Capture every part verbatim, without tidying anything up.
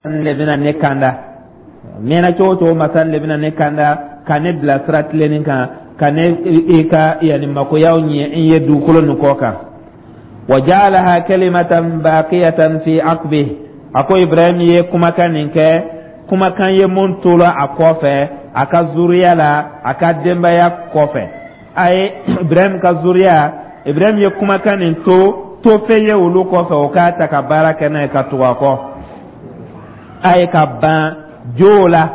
Le bɛna ne kanda mɛnna cogo o cogo, masa le bɛna ne kanda ka ne bila sira tilennin kan, ka ne i ka yanni makoyaw ɲɛ n ye dugukolo nin kɔ kan. Wa ja'alaha kalimatan baqiyatan fi aqbihi. A ko Ibrahim ye kumakan nin kɛ, kumakan ye mun tola a kɔfɛ a ka zuriya la, a ka denbaya kɔfɛ. A ye Ibrahim ka zuriya, Ibrahim ye kumakan nin to to fɛn ye olu kɔfɛ, o k'a ta ka baara kɛ n'a ye ka tugu a kɔ. A ye ka ban jow la,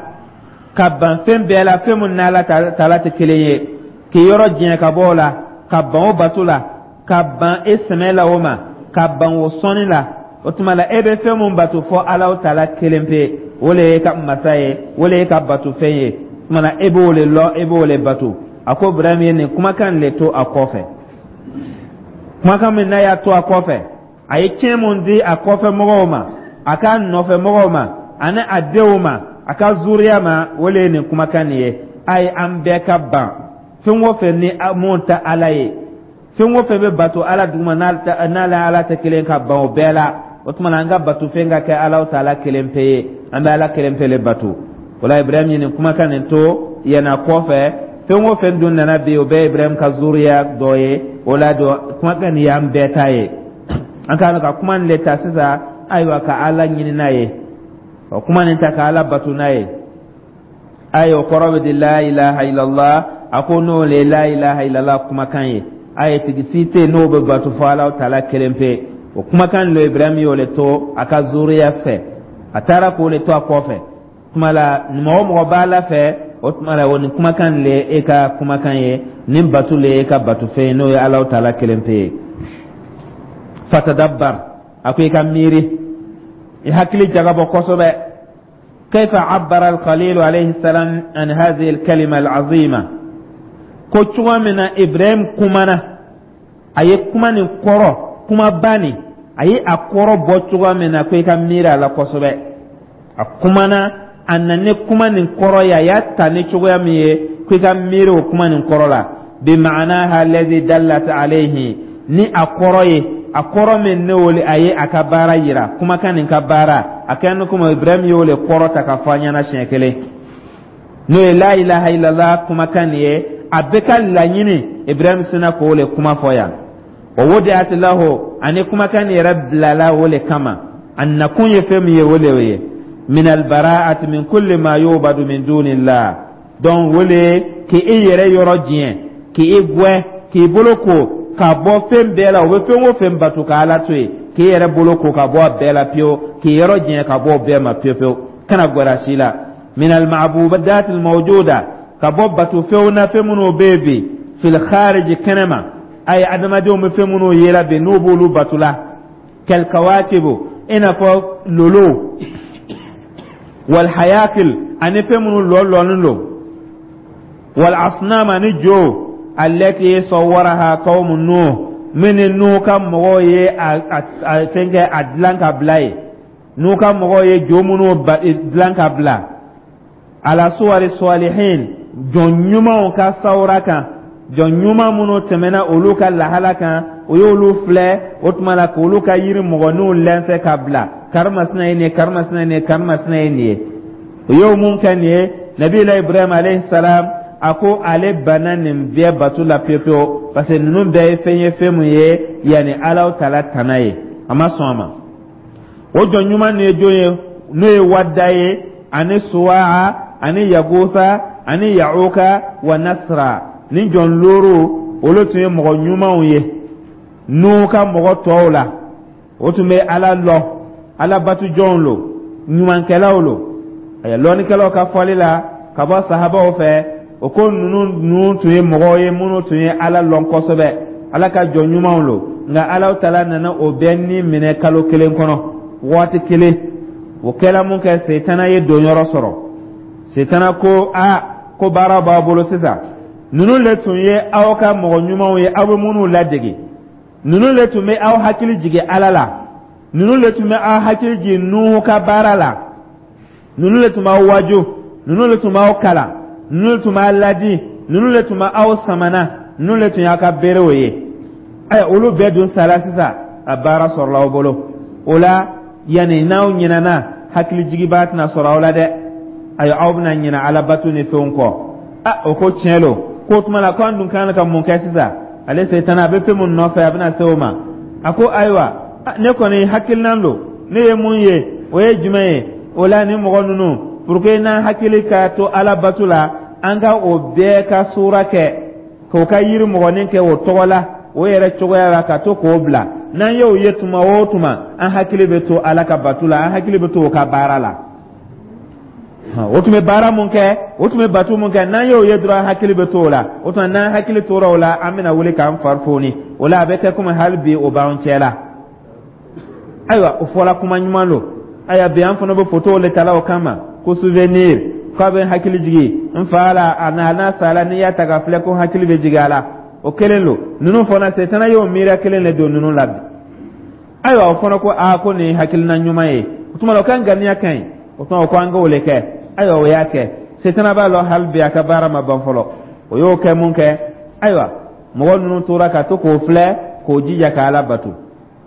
ka ban fɛn bɛɛ la, fɛn min n'Ala taala tɛ kelen ye, k'i yɔrɔ jɛn ka bɔ o la, ka ban o bato la, ka ban e sɛmɛ la o ma, ka ban o sɔnni la. O tuma la, e bɛ fɛn mun bato fɔ Ala taala kelen pe, o le ye ka masa ye, o le ye ka bato fɛn ye. O tuma la, e b'o le lɔ, e b'o le bato. A ko Ibrahim ye nin kumakan le to a kɔfɛ. Kumakan min n'a y'a to a kɔfɛ, a ye tiɲɛ mun di a kɔfɛ mɔgɔw ma, a ka nɔfɛ mɔgɔw ma, ani a denw ma, a ka zuriya ma, o le ye nin kumakan nin ye: a ye an bɛɛ ka ban fɛn o fɛn ni mun tɛ Ala ye, fɛn o fɛn bɛ bato Ala duguma n'ale Ala tɛ kelen, ka ban o bɛɛ la. O tuma na, an ka bato fɛn ka kɛ Ala taala kelen pe ye, an bɛ Ala kelen pe le bato. O la, Ibrahim ye nin kumakan nin to yɛnɛ kɔfɛ. Fɛn o fɛn dun nana bi, o bɛɛ ye Ibrahim ka zuriya dɔ ye. O la don, kumakan nin y'an bɛɛ ta ye. An ka ka kuma nin le ta sisan, ayiwa, ka Ala ɲini n'a ye, ka kuma nin ta ka Ala bato n'a ye. Ayi, o kɔrɔ bɛ di la ilaha illallah. A ko n'o le la ilaha illallah kumakan ye, a ye tigi si tɛ yen n'o bɛ bato fɔ Ala taala kelen pe. O kumakan lo Ibrahim y'o le to a ka zuriya fɛ, a taara k'o le to a kɔfɛ. Tuma la, mɔgɔ mɔgɔ b'a la fɛ, o tuma la, o nin kumakan le e ka kumakan ye, nin bato le e ka bato fɛn ye, n'o ye Ala taala kelen pe ye. Fatadabbar, a ko i ka miiri, i hakili jagabɔ kosɛbɛ. كيف عبر الخليل عليه السلام عن هذه الكلمة العظيمة؟ Ko cogo min na Ibrahim kumana, a ye kuma nin kɔrɔ, kuma ba nin, a ye a kɔrɔ bɔ cogo min na, ko i ka miiri a la kosɛbɛ. A kumana, a na ni kuma nin kɔrɔ ye, a y'a ta ni cogoya min ye, ko i ka miiri o kuma nin kɔrɔ la. بمعناها الذي دلت عليه, ni a kɔrɔ ye, a kɔrɔ min ne o a ye a ka baara yira, kumakan nin ka baara a kɛ ni komi Ibrahim y'o le kɔrɔ ta ka fɔ an ɲɛna siɲɛ kelen, n'o ye la ilaha illallah kumakan nin ye. A bɛ ka laɲini, Ibrahim sina k'o le kuma fɔ yan. ووضعت له, ani kumakan nin yɛrɛ bilala o le kama, a nakun ye fɛn min ye, o le ye من البراءة من كل ما يعبد من دون الله. Donc o le k'i yɛrɛ yɔrɔ diɲɛ, k'i gwɛ, k'i bolo ko ka bɔ fɛn bɛɛ la, o bɛ fɛn o fɛn bato ka Ala to yen, k'i yɛrɛ bolo ko ka bɔ a bɛɛ la pewu, k'i yɔrɔ diɲɛ ka bɔ o bɛɛ ma pewu pewu, kana gwɛrɛ si la. من المعبودات الموجودة, ka bɔ bato fɛnw na, fɛn minnu bɛ yen bi, في الخارج, kɛnɛma. A ye adamadenw bɛ fɛn minnu yela bi, n'u b'olu bato la, كالكواكب, i n'a fɔ lolo, والهياكل, ani fɛn minnu lɔlɔlen don, والأصنام, ani jo, التي صورها قوم نوح, min ni Nuhu ka mɔgɔw ye a a fɛn kɛ, a dilan ka bila ye. Nuhu ka mɔgɔw ye jo minnu dilan ka bila على صور الصالحين, jɔn ɲumanw ka sawura kan, jɔn ɲuman minnu tɛmɛna olu ka lahala kan, o y'olu filɛ. O tuma la, k'olu ka yiri mɔgɔninw lɛnsɛ ka bila, karimasina ye nin ye, karimasina ye nin ye, karimasina ye nin ye, o y'o mun kɛ nin ye. Nabila Ibrahim alayhi salam, a ko ale banna nin bɛɛ bato la pewu pewu, parce que ninnu bɛɛ ye fɛn ye, fɛn mun ye yanni Alaw taala tana ye, a ma sɔn a ma. O jɔn ɲuman nin ye jɔn ye? N'o ye Wadda ye, ani Suwaa, ani Yagusa, ani Yahuka wa Nasra. Ni jɔn looru, olu tun ye mɔgɔ ɲumanw ye n'u ka mɔgɔ tɔw la. O tun bɛ Ala lɔ, Ala batu jɔnw lo, ɲumankɛlaw lo. Ayiwa, lɔnnikɛlaw ka fɔli la ka bɔ sahabaw fɛ, o ko ninnu ninnu tun ye mɔgɔw ye minnu tun ye Ala lɔn kosɛbɛ, Ala ka jɔn ɲumanw lo. Nka Ala taala nana o bɛɛ ni minɛ kalo kelen kɔnɔ, waati kelen. O kɛla mun kɛ, Setana ye donyɔrɔ sɔrɔ. Setana ko a ko baara b'aw bolo sisan. Ninnu le tun ye aw ka mɔgɔ ɲumanw ye, aw bɛ minnu ladege. Ninnu le tun bɛ aw hakili jigin Ala la. Ninnu le tun bɛ aw hakili jigin Nuhu ka baara la. Ninnu le tun b'aw waju, ninnu le tun b'aw kalan, ninnu le tun b'aw ladi, ninnu le tun b'aw samana, ninnu le tun y'a ka berew ye. Ɛ, olu bɛɛ dun sara sisan, a baara sɔrɔla aw bolo. O la, yanni n'aw ɲinɛna Hakili jigiba tɛna sɔrɔ aw la dɛ. Ayiwa, aw bɛna ɲinɛ Ala bato ni fɛnw kɔ. A o ko tiɲɛ lo. Ko tuma la, ko an dun kan ka mun kɛ sisan? Ale Setana, a bɛ fɛn mun nɔfɛ, a bɛna se o ma. A ko ayiwa, ne kɔni hakilinan don ne ye mun ye, o ye jumɛn ye? O la, ni mɔgɔ ninnu, pour que n'an hakili ka to Ala bato la, an ka o bɛɛ ka sura kɛ, k'o ka yiri mɔgɔnin kɛ o tɔgɔ la, o yɛrɛ cogoya la, ka to k'o bila. N'an y'o ye tuma o tuma, an hakili bɛ to Ala ka bato la, an hakili bɛ to o ka baara la. O tun bɛ baara mun kɛ, o tun bɛ bato mun kɛ, n'an y'o ye dɔrɔn, an hakili bɛ to o la. O tuma, n'an hakili tora o la, an bɛna wuli k'an fari foni o la, a bɛ kɛ komi hali bi o b'an cɛ la. Ayiwa, o fɔla, kuma ɲuman don. Ayiwa, bi an fana bɛ photo le tala o kama ko souvenir, k'a bɛ n hakili jigin n fa la, a n'a n'a sala, n'i y'a ta ka filɛ, ko hakili bɛ jigin a la. O kelen don. Ninnu fana, Setana y'o miiriya kelen de don ninnu la bi. Ayiwa, o fana ko aa, ko nin ye hakilina ɲuman ye. O tuma la, o ka ŋaniya ka ɲi. O tuma, o ko an k'o le kɛ. Ayiwa, o y'a kɛ. Setana b'a lɔn hali bi a ka baara ma ban fɔlɔ. O y'o kɛ mun kɛ? Ayiwa, mɔgɔ ninnu tora ka to k'o filɛ, k'o jija ka Ala bato.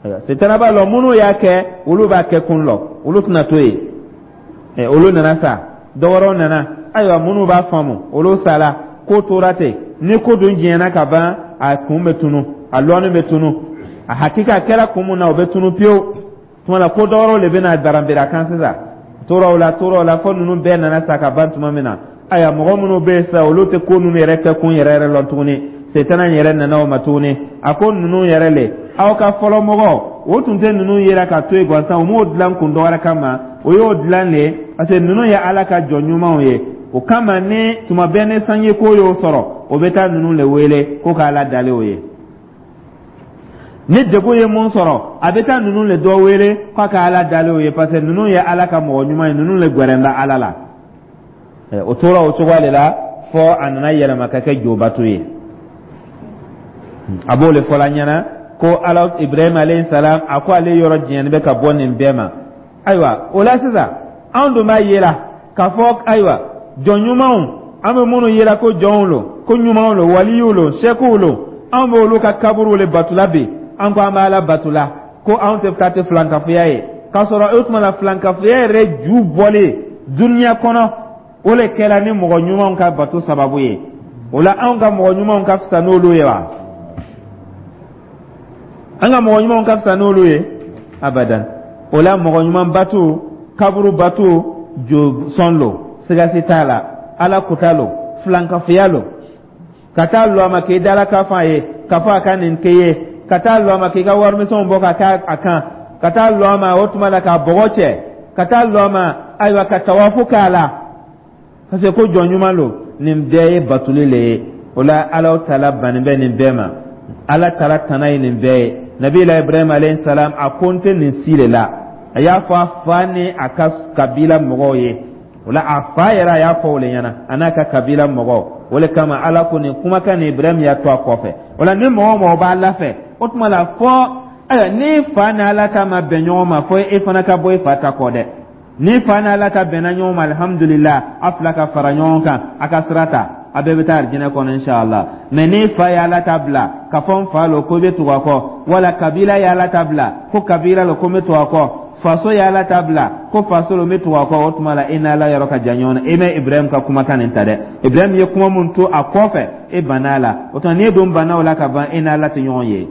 Ayiwa, Setana b'a lɔn minnu y'a kɛ, olu b'a kɛ kun lɔ, olu tɛna to yen. Ɛ, olu nana sa, dɔ wɛrɛw nana. Ayiwa, minnu b'a faamu, olu sala, ko tora ten. Ni ko dun diɲɛna ka ban, a kun bɛ tunu, a lɔnni bɛ tunu, a hakika kɛra kun mun na, o bɛ tunu pewu. Tuma la, ko dɔ wɛrɛw de bɛna daranbere a kan sisan. Tora o la, tora o la, fo ninnu bɛɛ nana sa ka ban tuma min na, ayiwa, mɔgɔ minnu bɛ yen sisan, olu tɛ ko ninnu yɛrɛ kɛ kun yɛrɛ yɛrɛ lɔn tuguni. Setana yɛrɛ nana o ma tuguni. A ko ninnu yɛrɛ le, aw ka fɔlɔ mɔgɔ o tun tɛ ninnu yera ka to yen gansan. O m'o dilan kun dɔ wɛrɛ kama, o y'o dilan le parce que ninnu ye Ala ka jɔn ɲumanw ye. O kama, ni tuma bɛɛ ni sanji ko y'o sɔrɔ, o bɛ taa ninnu le wele ko k'Ala dalen o ye. Ni degun ye mun sɔrɔ, a bɛ taa ninnu le dɔ wele k'a ka Ala dalen o ye, parce que ninnu ye Ala ka mɔgɔ ɲuman ye, ninnu le gwɛrɛn bɛ Ala la. O tora o cogoya de la fɔ a nana yɛlɛma ka kɛ jobato ye. A b'o le fɔla ɲɛna ko Ala, Ibrahima alayhi salam, a ko ale yɔrɔ jɛni bɛ ka bɔ nin bɛɛ ma. Ayiwa, o la sisan, anw dun b'a yela k'a fɔ ayiwa, jɔn ɲumanw, an bɛ minnu yela ko jɔnw lo, ko ɲumanw lo, waliyiw lo, sɛkiw lo, anw bɛ olu ka kaburuw le batula bi. An ko an bɛ Ala batula, ko anw tɛ taa tɛ filankafoya ye, k'a sɔrɔ o tuma la, filankafoya yɛrɛ ju bɔlen duniya kɔnɔ, o le kɛra ni mɔgɔ ɲumanw ka bato sababu ye. O la, anw ka mɔgɔ ɲumanw ka fisa n'olu ye wa? An ka mɔgɔ ɲumanw ka fisa n'olu ye? Abadan. O la, mɔgɔ ɲuman bato, kaburu bato, jo sɔn lo, sigasi t'a la, Ala kuta lo, filankafoya lo. Ka taa lɔ a ma k'i dala ka fɔ a ye k'a fɔ a ka nin kɛ ye, ka taa lɔ a ma k'i ka warimisɛnw bɔ ka k'a a kan, ka taa lɔ a ma o tuma la k'a bɔgɔ cɛ, ka taa lɔ a ma, ayiwa, ka tawafu k'a la parce que ko jɔn ɲuman lo, nin bɛɛ ye batuli le ye. O la, Ala taala bannen bɛ nin bɛɛ ma. Ala taala tana ye nin bɛɛ ye. Nabila Ibrahim alayhi salam, a ko n tɛ nin si de la. A y'a fɔ a fa ni a ka kabila mɔgɔw ye. O la, a fa yɛrɛ, a y'a fɔ o le ɲɛna, a n'a ka kabila mɔgɔw. O le kama, Ala ko nin kumakan nin, Ibrahim y'a to a kɔfɛ. O la, ni mɔgɔ o mɔgɔ b'a la fɛ, o tuma la, fɔ ayiwa, ni fa ni Ala ta ma bɛn ɲɔgɔn ma, fo e fana ka bɔ i fa ta kɔ dɛ. Ni fa ni Ala ta bɛnna ɲɔgɔn ma, alihamudulila, a fila ka fara ɲɔgɔn kan, a ka sira ta, a bɛɛ bɛ taa arijinɛ kɔnɔ inshallah. Mɛ ni fa ye Ala ta bila ka fɔ n fa lo, ko i bɛ tugu a kɔ, wala kabila ye Ala ta bila ko kabila lo, ko n bɛ tugu a kɔ, faso ye Ala ta bila ko faso lo, n bɛ tugu a kɔ, o tuma la, e n'Ala yɔrɔ ka jan ɲɔgɔn na. E ma Ibrahim ka kumakan nin ta dɛ. Ibrahim ye kuma mun to a kɔfɛ, e banna a la. O tuma, n'e dun banna o la ka ban, e n'Ala tɛ ɲɔgɔn ye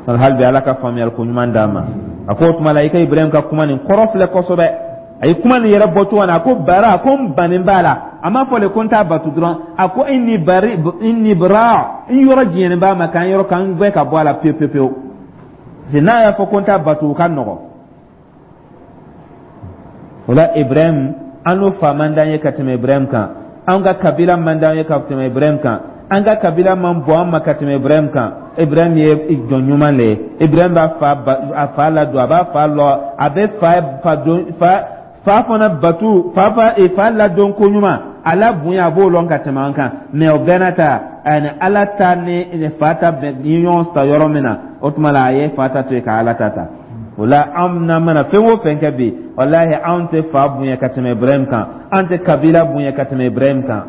hali bi. Ala ka faamuyali ko ɲuman d'a ma. A ko o tuma la, i ka Ibrahim ka kuma nin kɔrɔ filɛ kosɛbɛ. A ye kuma nin yɛrɛ bɔ cogo na, a ko bara, a ko n bannen b'a la. A m'a fɔ le ko n t'a batu dɔrɔn. A ko inni bari, inni bara, n yɔrɔ jɛnnen b'a ma, k'an yɔrɔ k'an gbɛ ka bɔ a la pewu pewu pewu. Parce que n'a y'a fɔ ko n t'a batu, o ka nɔgɔ. O la, Ibrahim, an n'o fa man d'an ye ka tɛmɛ Ibrahim kan, an ka kabila man d'an ye ka tɛmɛ Ibrahim kan, an ka kabila man bɔn an ma ka tɛmɛ Ibrahim kan. Ibrahim ye jɔn ɲuman le ye. Ibrahim b'a fa a fa ladon, a b'a fa lɔ, a bɛ fa fa don, fa fa fana batu, fa fa fa ladon ko ɲuman, a la bonya, a b'o lɔn ka tɛmɛ an kan. Mɛ o bɛɛ n'a ta, ani Ala ta ni fa ta bɛn ni ɲɔgɔn ta yɔrɔ min na, o tuma la, a ye fa ta to yen ka Ala ta ta. O la, anw n'an mana fɛn o fɛn kɛ bi, walahi, anw tɛ fa bonya ka tɛmɛ Ibrahim kan, an tɛ kabila bonya ka tɛmɛ Ibrahim kan.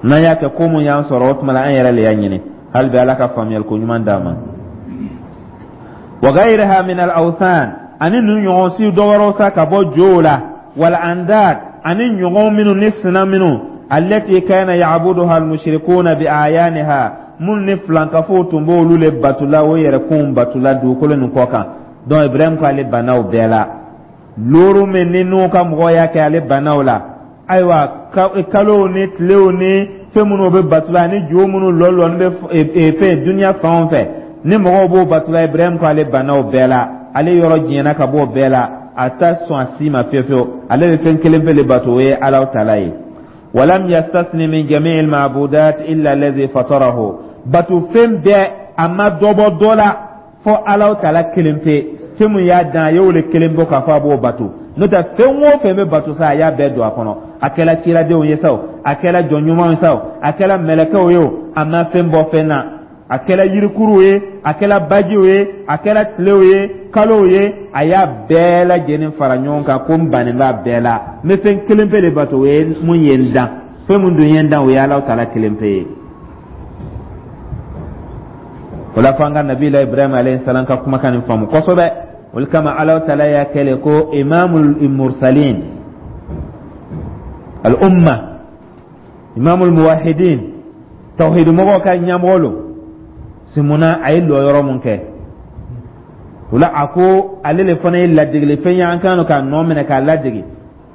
N'an y'a kɛ, ko mun y'an sɔrɔ, o tuma la, an yɛrɛ le y'a ɲini. Hali bi, Ala ka faamuyali ko ɲuman d'an ma. Wa ghayriha min al awthan, ani ninnu ɲɔgɔn si dɔ wɛrɛw sa ka bɔ jow la, wal andad, ani ɲɔgɔn minnu ni sina minnu, allati kana ya'buduha al mushrikuna bi ayaniha, minnu ni filankafow tun b'olu le batula, o yɛrɛkunw batula dugukolo nin kɔ kan. Donc Ibrahim ko ale banna o bɛɛ la. Loru min ni n'u ka mɔgɔw y'a kɛ, ale banna o la. Ayiwa, kalow ni tilew ni fɛn minnu bɛ batula, ani jo minnu lɔlɔni bɛ fɛn duniya fan o fɛ ni mɔgɔw b'o batula, Ibrahim ko ale banna o bɛɛ la. Ale yɔrɔ diɲɛna ka bɔ o bɛɛ la, a t'a sɔn a si ma fiyewu fiyewu. Ale bɛ fɛn kelen pe le bato, o ye Alahu taala ye. Walam yastasni min jami'il ma'budat illa alladhi fatarahu. Bato fɛn bɛɛ, a ma dɔ bɔ dɔ la fɔ Alahu taala kelen pe. Fɛn mun y'a dan, a y'o le kelen bɔ k'a fɔ a b'o bato. N'o tɛ, fɛn o fɛn bɛ bato sa, a y'a bɛɛ don a kɔnɔ. A kɛla ciradenw ye sa o, a kɛla jɔn ɲumanw ye sa o, a kɛla mɛlɛkɛw ye o, a ma fɛn bɔ fɛn na. A kɛla yirikuruw ye, a kɛla bajiw ye, a kɛla tilew ye, kalow ye, a y'a bɛɛ lajɛlen fara ɲɔgɔn kan ko n bannen b'a bɛɛ la, n bɛ fɛn kelen pe de bato, o ye mun ye n dan. Fɛn mun dun ye n dan, o ye Alahu taala kelen pe ye. O la, fo an ka nabila Ibrahima alayhi salam ka kumakan nin faamu kosɛbɛ. O kama Alahu taala y'a kɛlɛ ko imamul mursalin al umma, imamul muwahidin, tawhid mɔgɔw ka ɲɛmɔgɔ lo. Simuna a ye lɔyɔrɔ mun kɛ o la, a ko ale le fana ye ladegeli fɛn ye, an kan k'a nɔ minɛ k'a ladege.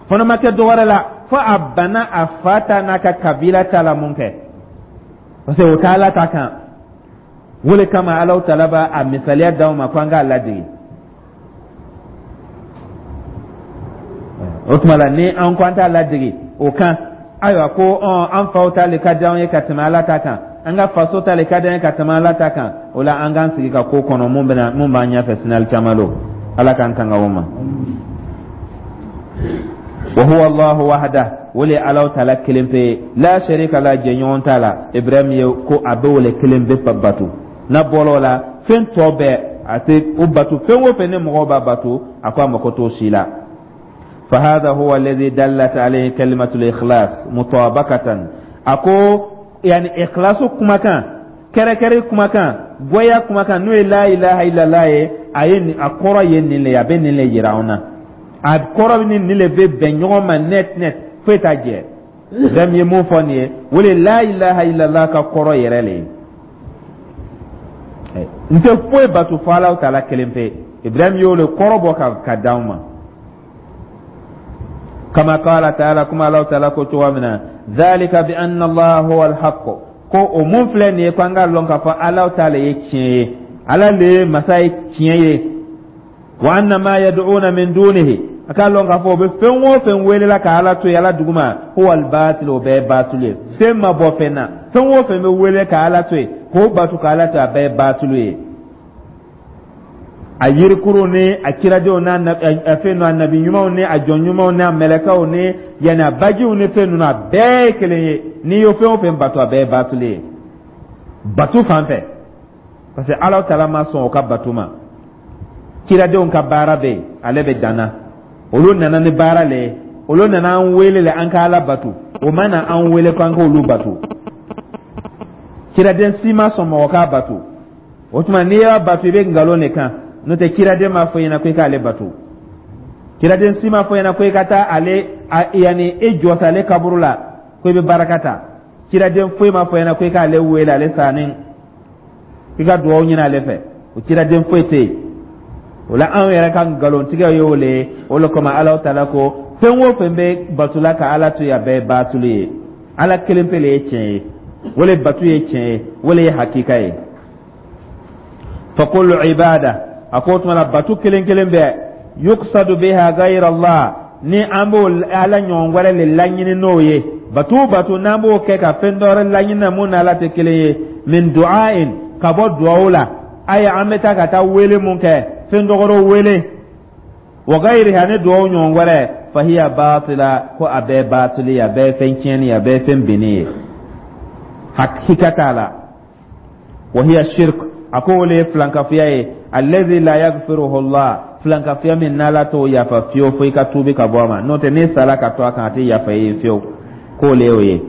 Fana ma kɛ dɔwɛrɛ la fo a banna a fa ta n'a ka kabila ta la mun kɛ, parce que o t'a Ala ta kan. O le kama Alahu taala b'a a misaliya d'aw ma ko an k'a ladege. O tuma la, ni an ko an t'a ladege o kan, ayiwa, ko an faw ta le ka di anw ye ka tɛmɛ Ala ta kan, an ka faso ta le ka di an ye ka tɛmɛ Ala ta kan, o la an k'an sigi ka ko kɔnɔ mun bɛna mun b'an ɲɛfɛ sinali caman don. Ala k'an tanga o ma. Wa huwa Allahu wahda, o le Alahu taala kelen pe ye, la sharika la, jɛɲɔgɔn t'a la. Ibrahim ye ko a bɛ o le kelen pe bato. N'a bɔra o la, fɛn tɔ bɛɛ a tɛ o bato. Fɛn o fɛn ni mɔgɔw b'a bato, a ko a mako t'o si la. فهذا هو الذي دلت عليه كلمة الإخلاص مطابقة. أكو يعني إخلاص كما كان كركري كما كان goya kuma kan, n'o ye la ilaha illallah ye, a ye a kɔrɔ ye nin le ye, a bɛ nin le yira anw na. A kɔrɔ ni nin le bɛ bɛn ɲɔgɔn ma net net, foyi t'a jɛ. Ibrahim ye mun fɔ nin ye, o le la ilaha illallah ka kɔrɔ yɛrɛ le ye. N tɛ foyi bato fo Alahu taala kelen pe. Ibrahim y'o le kɔrɔ bɔ ka ka d'anw ma. Kama qala ta'ala, kuma Alahu taala ko cogo min na, dhalika bi anna Allah huwa al-haqq, ko o mun filɛ nin ye, ko an k'a lɔn k'a fɔ Alahu taala ye tiɲɛ ye, Ala le ye masa ye tiɲɛ ye. Wa anna ma yad'una min dunihi, a k'a lɔn k'a fɔ o bɛ fɛn o fɛn welela ka Ala to yen Ala duguma, huwa al-batil, o bɛɛ ye batil ye. Fɛn ma bɔ fɛn na. Fɛn o fɛn bɛ wele ka Ala to yen k'o bato ka Ala to yen, a bɛɛ ye batil ye. A yirikuru ni a kiradenw n'a fɛn ninnu, a nabi ɲumanw ni a jɔn ɲumanw ni a mɛlɛkɛw ni yanni a bajiw ni fɛn ninnu, a bɛɛ ye kelen ye. N'i ye fɛn o fɛn bato, a bɛɛ ye batuli ye bato fan fɛ, parce que Ala taala ma sɔn o ka bato ma. Kiradenw ka baara bɛ yen, ale bɛ danna. Olu nana ni baara le ye, olu nana an wele le an ka Ala bato. O ma na an wele ko an k'olu bato. Kiraden si ma sɔn mɔgɔ k'a bato. O tuma n'i y'a bato, i bɛ nkalon de kan. N'o tɛ, kiraden m'a fɔ i ɲɛna ko i k'ale bato. Kiraden si m'a fɔ i ɲɛna ko i ka taa ale yanni e jɔsa ale kaburu la ko i bɛ baraka ta. Kiraden foyi m'a fɔ i ɲɛna ko i k'ale wele ale sanni i ka dugawu ɲini ale fɛ. O kiraden foyi tɛ yen. O la, anw yɛrɛ ka nkalontigɛ ye o le ye. O le kama Alahu taala ko fɛn o fɛn bɛ batola ka Ala to yen, a bɛɛ ye batulu ye. Ala kelen pe le ye tiɲɛ ye, o le batu ye tiɲɛ ye, o le ye hakika ye. Fa kullu ibada, a ko tuma la, batu kelen kelen bɛɛ, yuqsadu biha ghayra Allah, ni an b'o Ala ɲɔgɔn wɛrɛ le laɲini n'o ye, batu o batu n'an b'o kɛ ka fɛn dɔ wɛrɛ laɲini na mun n'Ala tɛ kelen ye, min du'ain, ka bɔ duwawu la, ayi, an bɛ taa ka taa wele mun kɛ, fɛn dɔ wɛrɛw wele, wa ghayriha, ni duwawu ɲɔgɔn wɛrɛ, fahiya batila, ko a bɛɛ batili, a bɛɛ fɛn tiɲɛni, a bɛɛ fɛn binni ye, hakika t'a la. Wa hiya shirk, a ko o le ye filankafoya ye, allazi la yaghfiruhu Allah, filankafoya min n'Ala t'o yafa fiyewu fo i ka tuubi ka bɔ a ma. N'o tɛ, n'i sala ka to a kan, a tɛ yafa i ye fiyewu. K'o le y'o ye.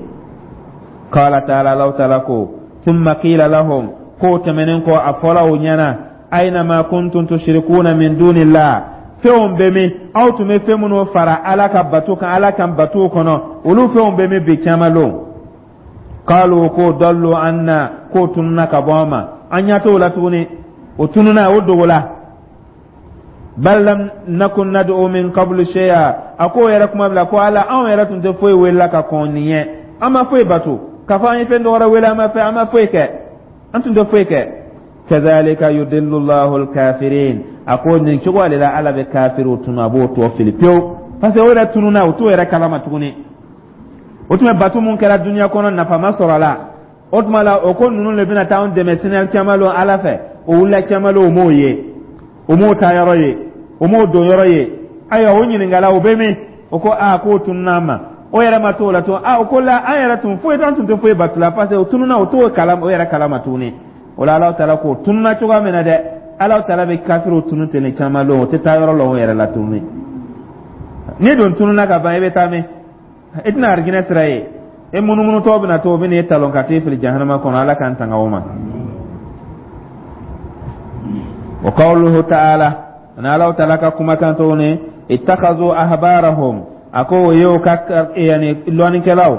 Qala ta'ala, Alahu ta'ala ko, thumma qila lahum, k'o tɛmɛnen kɔ, a fɔra o ɲɛna. Aina ma kuntum tushrikuna min dunillah, fɛnw bɛ min, aw tun bɛ fɛn minnu fara Ala ka bato kan, Ala kan bato kɔnɔ, olu fɛnw bɛ min bi kiyama lon? Qalu, ko dallu anna, k'o tununa ka bɔ an ma, an ɲɛ t'o la tuguni, o tununa, o dogola. Bal lam nakun nad'u min qablu shay'a, a k'o yɛrɛ kuma bila ko Ala, anw yɛrɛ tun tɛ foyi welela ka kɔn nin ɲɛ, an ma foyi bato k'a fɔ an ye fɛn dɔ wɛrɛ wele, an ma fɛn, an ma foyi kɛ, an tun tɛ foyi kɛ. Kazalika yudillu Allahu alkafirin, a ko nin cogo de la Ala bɛ kafiriw tunu, a b'o tɔ fili pewu, parce que o yɛrɛ tununa, o t'o yɛrɛ kalama tuguni. O tun bɛ bato mun kɛra duniya kɔnɔ, nafa ma sɔrɔ a la. O tuma la, o ko ninnu de bɛna taa anw dɛmɛ sini kiyama lon Ala fɛ. O wulila kiyama lon, o m'o ye, o m'o taa yɔrɔ ye, o m'o don yɔrɔ ye. Ayiwa, o ɲininkala, o bɛ min? O ko aa, k'o tununa an ma. O yɛrɛ ma t'o la tun. Aa, o ko la, an yɛrɛ tun foyi, an tun tɛ foyi bato la, parce que o tununa, o t'o kalama, o yɛrɛ kalama tuguni. O la, Ala taala k'o tununa cogoya min na dɛ, Ala taala bɛ kafiriw tunu ten ni caman lon, o tɛ taa yɔrɔ la o yɛrɛ la tuguni. N'i dun tununa ka ban, i bɛ taa min? I tɛna arijinɛ sira ye, e munumunutɔ bɛna to, o bɛ n'i talon ka t'i fili jahanama kɔnɔ. Ala k'an tanga o ma. Wa qawluhu ta'ala, ani Ala taala ka kumakan tuguni, ittakazu ahbarahum, a ko o y'o ka yani lɔnnikɛlaw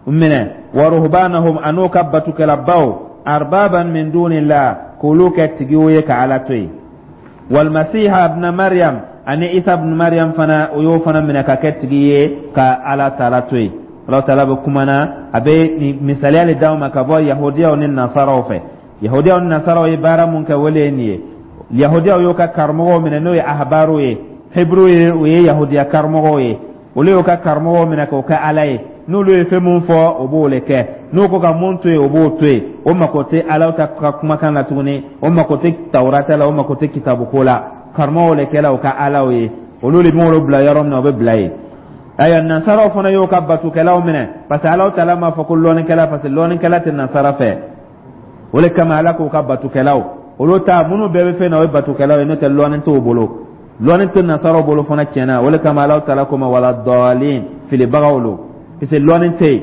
minɛ, wa ruhbanahum, an'o ka batukɛlabaw, arbaban min dunillah, k'olu kɛ tigiw ye ka Ala to yen, walmasiha ibna Maryam, ani Isa ibn Maryam fana, o y'o fana minɛ ka kɛ tigi ye ka Ala taala to yen. Ala taala bɛ kuma na, a bɛ misaliya le d'aw ma ka bɔ yahudiyaw ni nasaraw fɛ. Yahudiyaw ni nasaraw ye baara mun kɛ, o le ye nin ye. Yahudiyaw y'o ka karamɔgɔw minɛ, n'o ye ahbaru ye, hebrew ye, o ye yahudiya karamɔgɔw ye. Olu y'o ka karamɔgɔw minɛ k'o kɛ Ala ye. N'olu ye fɛn mun fɔ, o b'o le kɛ. N'o ko ka mun to yen, o b'o to yen. O mako tɛ Ala ta ka kumakan na tuguni, o mako tɛ Tawurata la, o mako tɛ kitabuko la. Karamɔgɔw le kɛla o ka alaw ye, olu de b'olu bila yɔrɔ min na, o bɛ bila yen. Ayiwa, nansaraw fana y'o ka batukɛlaw minɛ, parce que Alaw taala m'a fɔ ko lɔnnikɛla, parce que lɔnnikɛla tɛ nansara fɛ. O de kama Ala k'o ka batukɛlaw, olu ta minnu bɛɛ bɛ fɛn na, o ye batukɛlaw ye, n'o tɛ lɔnni t'o bolo, lɔnni tɛ nansaraw bolo fana tiɲɛna. O de kama Alaw taala ko ma wala dɔɔlin, filibagaw lo, parce que lɔnni tɛ yen.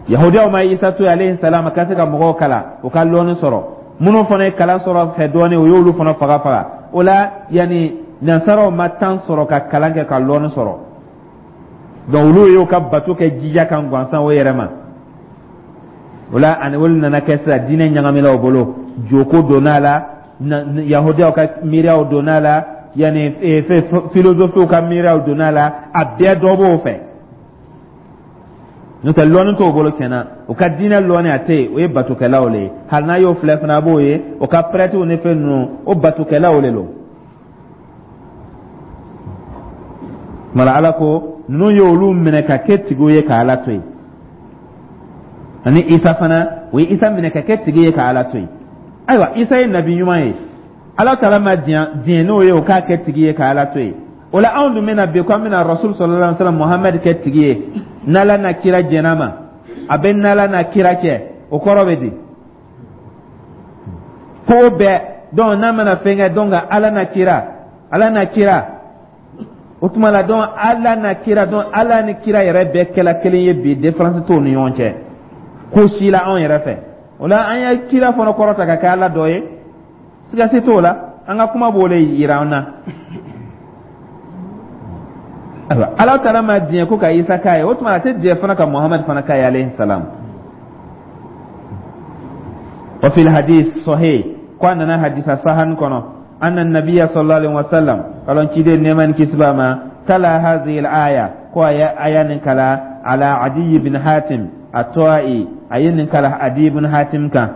Yahudiyaw ma Isa to yen alayhi salam ka se ka mɔgɔw kalan, u ka lɔnni sɔrɔ. Minnu fana ye kalan sɔrɔ fɛ dɔɔnin, o y'olu fana faga faga. O la, yanni nansaraw ma temps sɔrɔ ka kalan kɛ ka lɔnni sɔrɔ, donc olu y'o ka bato kɛ jija kan gansan o yɛrɛ ma. O la, ani olu nana kɛ sisan diinɛ ɲagamina o bolo, joko donna a la, yahudiyaw ka miiriyaw donna a la, yanni filozofiw ka miiriyaw donna a la, a bɛɛ dɔ b'o fɛ. N'o tɛ, lɔnni t'o bolo tiɲɛna, o ka diinɛ lɔnni a tɛ yen, o ye batokɛlaw le ye. Hali n'a y'o filɛ fana, a b'o ye o ka prɛtiw ni fɛn ninnu, o batokɛlaw le don. Mara Ala ko ninnu ye olu minɛ ka kɛ tigiw ye ka Ala to yen, ani Isa fana, o ye Isa minɛ ka kɛ tigi ye ka Ala to yen. Ayiwa, Isa ye nabi ɲuman ye, Ala taala ma diɲɛ n'o ye o k'a kɛ tigi ye ka Ala to yen. O la, anw dun bɛna bi ko an bɛna Rasul sallallahu alaihi wa sallam Muhammed kɛ tigi ye, n'Ala n'a kira jɛn'a ma, a bɛ n'Ala n'a kira cɛ, o kɔrɔ bɛ di ko bɛɛ. Donc n'a mana fɛn kɛ, donc Ala n'a kira, Ala n'a kira, o tuma la, donc Ala n'a kira, donc Ala ni kira yɛrɛ bɛɛ kɛla kelen ye bi, différence t'o ni ɲɔgɔn cɛ ko si la anw yɛrɛ fɛ. O la, an ye kira fana kɔrɔta ka kɛ Ala dɔ ye, siga si t'o la, an ka kuma b'o le yira an na. Ayiwa, Ala taala ma diɲɛ ko ka Isa k'a ye, o tuma a tɛ diɲɛ fana ka Muhamad fana k'a ye alayhi salam. Wa fil hadith sahih, ko a nana hadisa sahan kɔnɔ, anna nabiya sallallahu alaihi wasallam, kalon ciden nɛɛma ni kisi b'a ma, tala hadhihi al-aya, ko a ye aya nin kala ala Adi bin Hatim at-Ta'i, a ye nin kala Adi bin Hatim kan,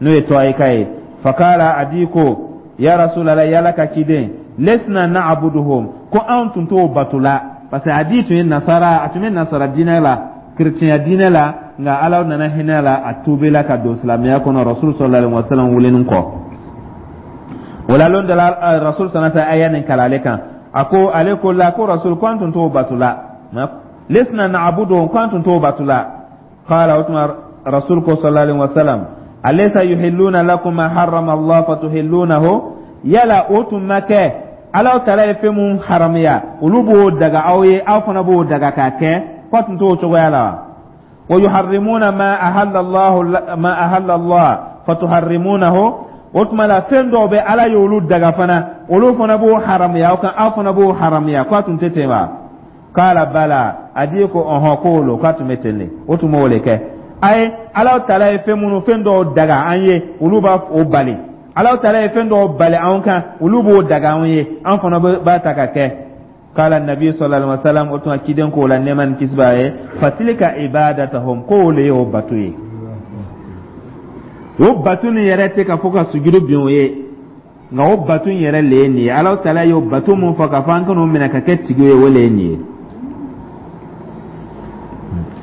n'o ye Ta'i ka ye. Fakala Adi ko ya Rasulallah, yala ka ciden, lesna na'buduhum, ko anw tun t'o bato la, parce que Adi tun ye nasara, a tun bɛ nasara diinɛ la, kerecɛnya diinɛ la, nka Ala nana hinɛ la, a tubila ka don silamɛya kɔnɔ Rasul sallallahu alaihi wasallam wulenin kɔ. O la, lon dɔ la, Rasul sallallahu alaihi wasallam aya nin kala ale kan, a ko ale ko la ko Rasul, ko an tun t'o bato la, lesna na'buduhum, ko an tun t'o bato la. Qala, o tuma Rasul ko sallallahu alaihi wasallam, alaysa yuhilluna lakum ma harrama Allah fatuhillunahu, yala o tun ma kɛ Ala taala ye fɛn mun haramuya, olu b'o daga aw ye, aw fana b'o daga k'a kɛ, k'o tun t'o cogoya la wa? Wa yuharrimuna ma ahalla Allah ma ahalla Allah fatuharrimunahu, O tuma la, fɛn dɔw bɛ, Ala y'olu daga fana, olu fana b'o haramuya aw kan, aw fana b'o haramuya, k'a tun tɛ ten wa? Kala bala, a di ko ɔhɔn, k'o lo, k'a tun bɛ ten de. O tun b'o de kɛ. A ye Ala taala ye fɛn minnu, fɛn dɔw daga an ye, olu b'a o bali. Ala taala ye fɛn dɔw bali anw kan, olu b'o daga anw ye, an fana b'a ta ka kɛ. Kala nabi sallallahu alaihi wasallam, o tuma ciden k'o la, nɛɛma ni kisi b'a ye, fatilka ibadatahum, k'o le y'o bato ye. O bato nin yɛrɛ tɛ ka fɔ ka sujudu bin o ye, nka o bato in yɛrɛ le ye nin ye. Ala taala y'o bato mun fɔ k'a fɔ an kan'o minɛ ka kɛ tigi ye, o le ye nin ye.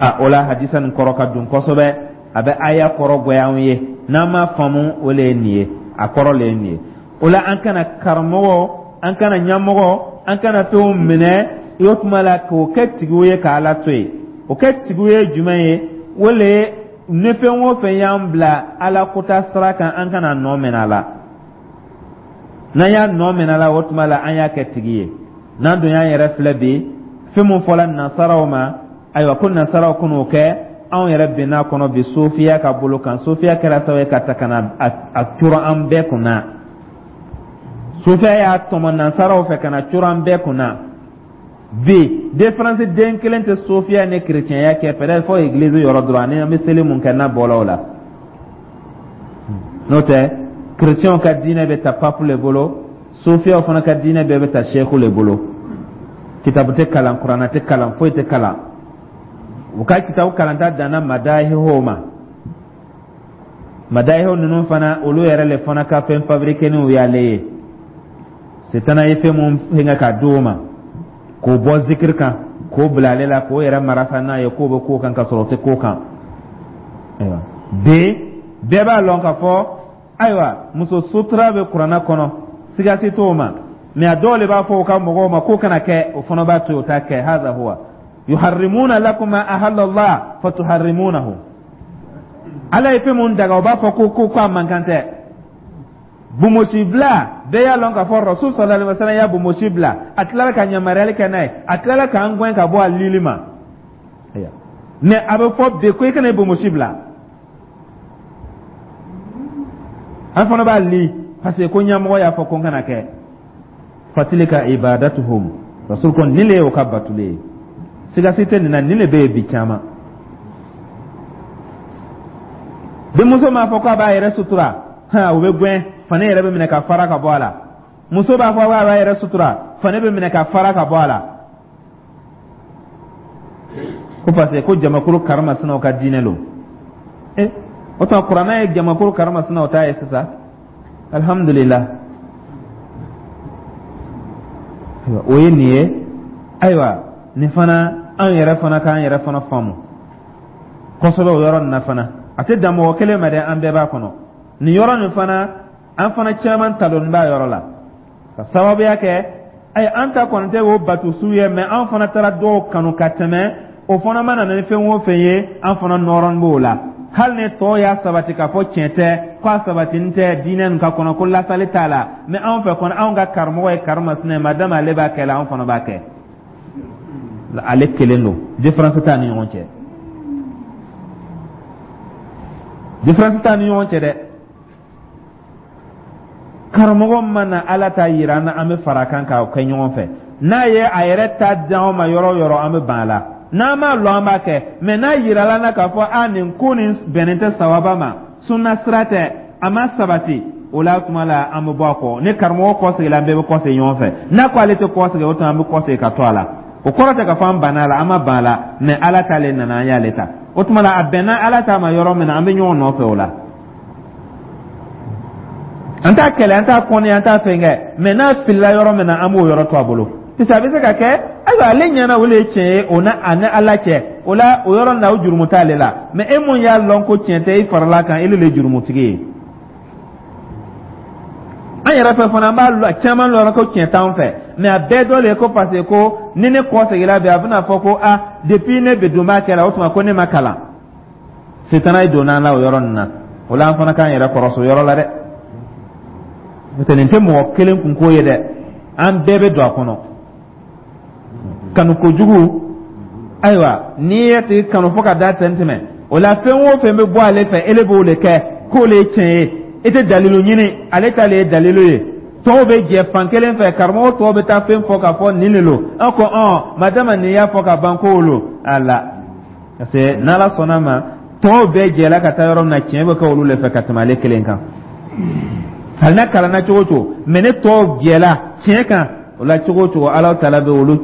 A o la, hadisa nin kɔrɔ ka dun kosɛbɛ, a bɛ aya kɔrɔ goya anw ye n'an m'a faamu. O le ye nin ye, a kɔrɔ le ye nin ye. O la, an kana karamɔgɔ, an kana ɲɛmɔgɔ, an kana fɛnw minɛ o tuma la k'o kɛ tigiw ye k'Ala to yen. O kɛ tigiw ye jumɛn ye? O le ye ni fɛn o fɛn y'an bila Ala kota sira kan, an kana nɔ minɛ a la. N'an y'a nɔ minɛ a la, o tuma la an y'a kɛ tigi ye. N'an dun y'an yɛrɛ filɛ bi, fɛn mun fɔla nasaraw ma, ayiwa, ko nasaraw kan'o kɛ, anw yɛrɛ bɛn'a kɔnɔ bi sofiya ka bolo kan. Sofiya kɛra sababu ye ka ta ka na a coro an bɛɛ kunna. Sofiya y'a tɔmɔ nasaraw fɛ ka na coro an bɛɛ kunna bi. Différence den kelen tɛ sofiya ni kerecɛnya kɛ, peut-être fɔ église yɔrɔ dɔrɔn, ani an bɛ seli mun kɛ n'a bɔla o la. N'o tɛ, kerecɛnw ka diinɛ bɛ ta pape le bolo, sofiyaw fana ka diinɛ bɛɛ bɛ ta seku le bolo. Kitabu tɛ kalan, kuranna tɛ kalan, foyi tɛ kalan. U ka kitabu kalanta danna madahiho ma. Madahiho ninnu fana, olu yɛrɛ le fana ka fɛn fabriqué y'ale ye. Setana ye fɛn mun fɛngɛ k'a di o ma, k'o bɔ zikiri kan k'o bila ale la, k'o yɛrɛ marasa n'a ye, k'o bɛ k'o kan ka sɔrɔ o tɛ k'o kan. Ayiwa, bi bɛɛ b'a lɔn k'a fɔ, ayiwa, muso sutura bɛ kuranna kɔnɔ, sigasi t'o ma. Mɛ a dɔw de b'a fɔ u ka mɔgɔw ma k'o kana kɛ, o fana b'a to yen, o t'a kɛ. Haza huwa yuharrimuna lakum ma ahalla Allah fatuharrimunahu. Ala ye fɛn mun daga, o b'a fɔ ko ko ko a man kan tɛ. Bomosi bila, bɛɛ y'a lɔn k'a fɔ Rasul sallallahu alaihi wasallam y'a bomosi bila, a tilala ka yamaruyali kɛ n'a ye, a tilala k'an gɛn ka bɔ a lili ma. Mɛ a bɛ fɔ bi ko i kana bomosi bila, an fana b'a li parce que ko ɲɛmɔgɔ y'a fɔ ko n kana kɛ. Fatilka ibadatuhum, Rasul ko nin le ye o ka batule ye. Sigasi tɛ nin na, nin le bɛ yen bi caman. Denmuso m'a fɔ k'a b'a yɛrɛ sutura, o bɛ gɛn, fani yɛrɛ bɛ minɛ ka fara ka bɔ a la. Muso b'a fɔ k'a b'a yɛrɛ sutura, fani bɛ minɛ ka fara ka bɔ a la, ko parce que ko jamakulu karimasinaw ka diinɛ lo. E o tuma, kuranna ye jamakulu karimasinaw ta ye sisan. Alhamdulillah, o ye nin ye. Ayiwa, nin fana, an yɛrɛ fana k'an yɛrɛ fana faamu kosɛbɛ o yɔrɔ nin na fana. A tɛ dan mɔgɔ kelen ma dɛ, an bɛɛ b'a kɔnɔ nin yɔrɔ nin fana. An fana caman talonni b'a yɔrɔ la ka sababuya kɛ, ayi, an ta kɔni tɛ o bato su ye, mɛ an fana taara dɔw kanu ka tɛmɛ. O fana mana na ni fɛn o fɛn ye, an fana nɔrɔn b'o la. Hali ni tɔw y'a sabati k'a fɔ tiɲɛ tɛ, k'a sabatini tɛ diinɛ nin ka kɔnɔ, ko lasali t'a la, mɛ anw fɛ kɔni, anw ka karamɔgɔ ye karimasina ye, madama ale b'a kɛ la, anw fana b'a kɛ. Ale kelen don, différence t'a ni ɲɔgɔn cɛ, différence t'a ni ɲɔgɔn cɛ dɛ. Karamɔgɔ mana Ala ta yira an na, an bɛ fara a kan k'a kɛ ɲɔgɔn fɛ. N'a ye a yɛrɛ ta d'anw ma yɔrɔ o yɔrɔ, an bɛ ban a la. N'an m'a lɔn, an b'a kɛ, mɛ n'a yirala na k'a fɔ a nin ko nin bɛnnen tɛ sawaba ma, sunna sira tɛ, a ma sabati, o la tuma la an bɛ bɔ a kɔ. Ni karamɔgɔ kɔ seginna, an bɛɛ bɛ kɔ segin ɲɔgɔn fɛ. N'a ko ale tɛ kɔ segin, o tuma an bɛ kɔ segin ka to a la. O kɔrɔ tɛ ka fɔ an banna a la, an ma ban a la, mɛ Ala t'ale nana, an y'ale ta. O tuma la, a bɛnna Ala ta ma yɔrɔ min na, an bɛ ɲɔgɔn nɔfɛ o la. An t'a kɛlɛ, an t'a kɔni, an t'a fɛn kɛ, mɛ n'a filila yɔrɔ min na, an b'o yɔrɔ to a bolo, parce que a bɛ se ka kɛ, ayiwa, ale ɲɛna, o le ye tiɲɛ ye, o n'a a ni Ala cɛ. O la, o yɔrɔ nin na, o jurumu t'ale la. Mɛ e mun y'a lɔn ko tiɲɛ tɛ, i farala kan, e le ye jurumutigi ye. An yɛrɛ fɛ fana, an b'a caman lɔn ko tiɲɛ t'anw fɛ, mɛ a bɛɛ dɔ le ye ko parce que ko ni ne kɔ seginna bi, a bɛna fɔ ko a depuis ne bɛ don b'a kɛ la, o tuma ko ne ma kalan. Setana ye donna an la o yɔrɔ nin na. O la, an fana k'an yɛrɛ kɔrɔsi o yɔrɔ la dɛ. N'o tɛ, nin tɛ mɔgɔ kelen kunko ye dɛ, an bɛɛ bɛ don a kɔnɔ. Kanu kojugu, ayiwa, n'i ye tigi kanu fo ka da tɛn tɛmɛ, o la fɛn o fɛn bɛ bɔ ale fɛ, ele b'o de kɛ k'o le ye tiɲɛ ye. I tɛ dalilu ɲini, ale ta le ye dalilu ye. Tɔw bɛ jɛ fan kelen fɛ, karamɔgɔ tɔw bɛ taa fɛn fɔ k'a fɔ nin de lo. An ko ɔn madama nin y'a fɔ ka ban, k'o lo a la, parce que n'Ala sɔnna ma, tɔw bɛɛ jɛla ka taa yɔrɔ min na, tiɲɛ bɛ kɛ olu de fɛ ka tɛmɛ ale kelen kan. Hali n'a kalanna cogo o cogo, mɛ ne tɔw jɛla tiɲɛ kan o la cogo o cogo, Ala taala bɛ olu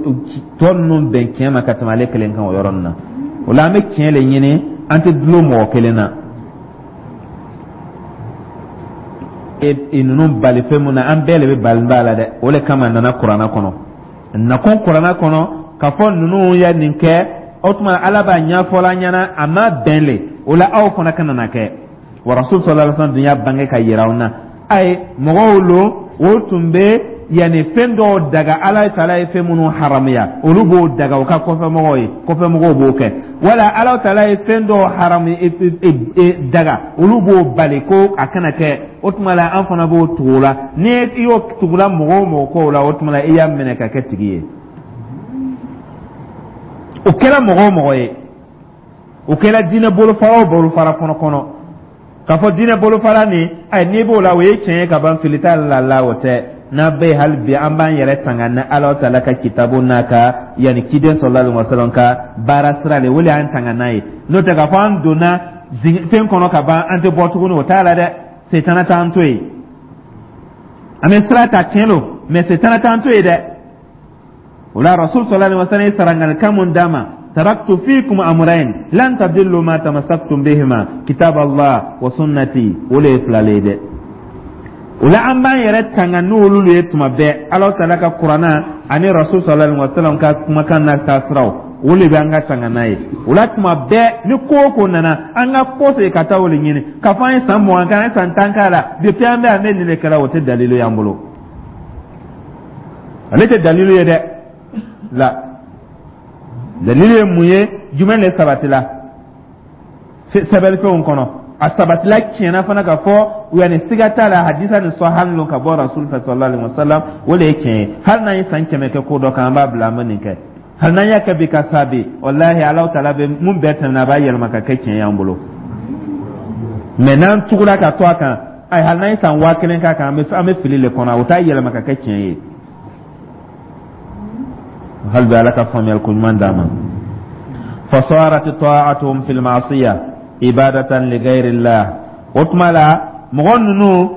tɔ ninnu bɛn tiɲɛ ma ka tɛmɛ ale kelen kan o yɔrɔ nin na. O la, an bɛ tiɲɛ le ɲini, an tɛ dulon mɔgɔ kelen na. E ninnu bali fɛn mun na, an bɛɛ le bɛ bali b'a la dɛ. O le kama a nana kuranna kɔnɔ, nakun kuranna kɔnɔ k'a fɔ ninnu ye nin kɛ. O tuma, Ala b'a ɲɛfɔla an ɲɛna, a ma bɛn le o la, aw fana kana na kɛ. Wa Rasul sallallahu alaihi wasallam dun y'a bange ka yira anw na. Ayi, mɔgɔw lo, o tun bɛ yanni fɛn dɔw daga, Ala taala ye fɛn minnu haramuya, olu b'o daga u ka kɔfɛmɔgɔw ye, kɔfɛmɔgɔw b'o kɛ. Wala Ala taala ye fɛn dɔw haramu daga, olu b'o bali ko a kana kɛ. O tuma la, an fana b'o tugu o la. Ni i y'o tugula mɔgɔ o mɔgɔ kɔ o la, o tuma la, i y'a minɛ ka kɛ tigi ye. O kɛra mɔgɔ o mɔgɔ ye, o kɛra diinɛ bolofara o bolofara kɔnɔ kɔnɔ k'a fɔ diinɛ bolofara nin, ayi, n'i b'o la, o ye tiɲɛ ye ka ban, fili t'a la la o tɛ. N'a bɛ yen hali bi, an b'an yɛrɛ tanga ni Ala taala ka kitabu n'a ka yanni ciden sallallahu alaihi wasallam ka baara sira de, o de y'an tanga n'a ye. N'o tɛ, k'a fɔ an donna fɛn kɔnɔ ka ban, an tɛ bɔ tuguni, o t'a la dɛ. Setana t'an to yen. An bɛ sira ta, tiɲɛ don, mɛ setana t'an to yen dɛ. O la, Rasul sallallahu alaihi wasallam ye saranganikan mun d'a ma: taraktu fikum amrayn lan tadillu ma tamassaktum bihima, kitab Allah wa sunnati. O le ye fila le ye dɛ. O la, an b'an yɛrɛ tanga n'olu ye tuma bɛɛ. Ala taala ka kuranna ani Rasul sallallahu alaihi wasallam ka kumakan n'a taasiraw, o de bɛ an ka tanga n'a ye. O la, tuma bɛɛ ni ko o ko nana, an ka kɔsegin ka taa o de ɲini. K'a fɔ an ye san mugan kɛ, an ye san tan k'a la, depuis an bɛ an bɛ nin de kɛra, o tɛ dalilu y'an bolo. Ale tɛ dalilu ye dɛ. La dalilu ye mun ye? Jumɛn de sabatila sɛbɛnfɛnw kɔnɔ? A sabatila tiɲɛna fana ka fɔ yanni siga t'a la, hadisa ni sɔhali lo ka bɔ Rasul fɛ sallallahu alaihi wasallam, o de ye tiɲɛ ye. Hali n'an ye san kɛmɛ kɛ ko dɔ kan, an b'a bila, an bɛ nin kɛ. Hali n'an y'a kɛ bi ka sa bi, walahi, Alahu taala bɛ mun bɛɛ tɛmɛna, a b'a yɛlɛma ka kɛ tiɲɛ y'an bolo. Mɛ n'an tugura ka to a kan, ayi, hali n'an ye san waa kelen k'a kan, an bɛ an bɛ fili le kɔnɔ, o t'a yɛlɛma ka kɛ tiɲɛ ye. Hali bi, Ala ka faamuyali ko ɲuman d'an ma. Fasarat ta'atuhum fil ma'siyah ibadatan li ghayrillah. O tuma la, mɔgɔ ninnu,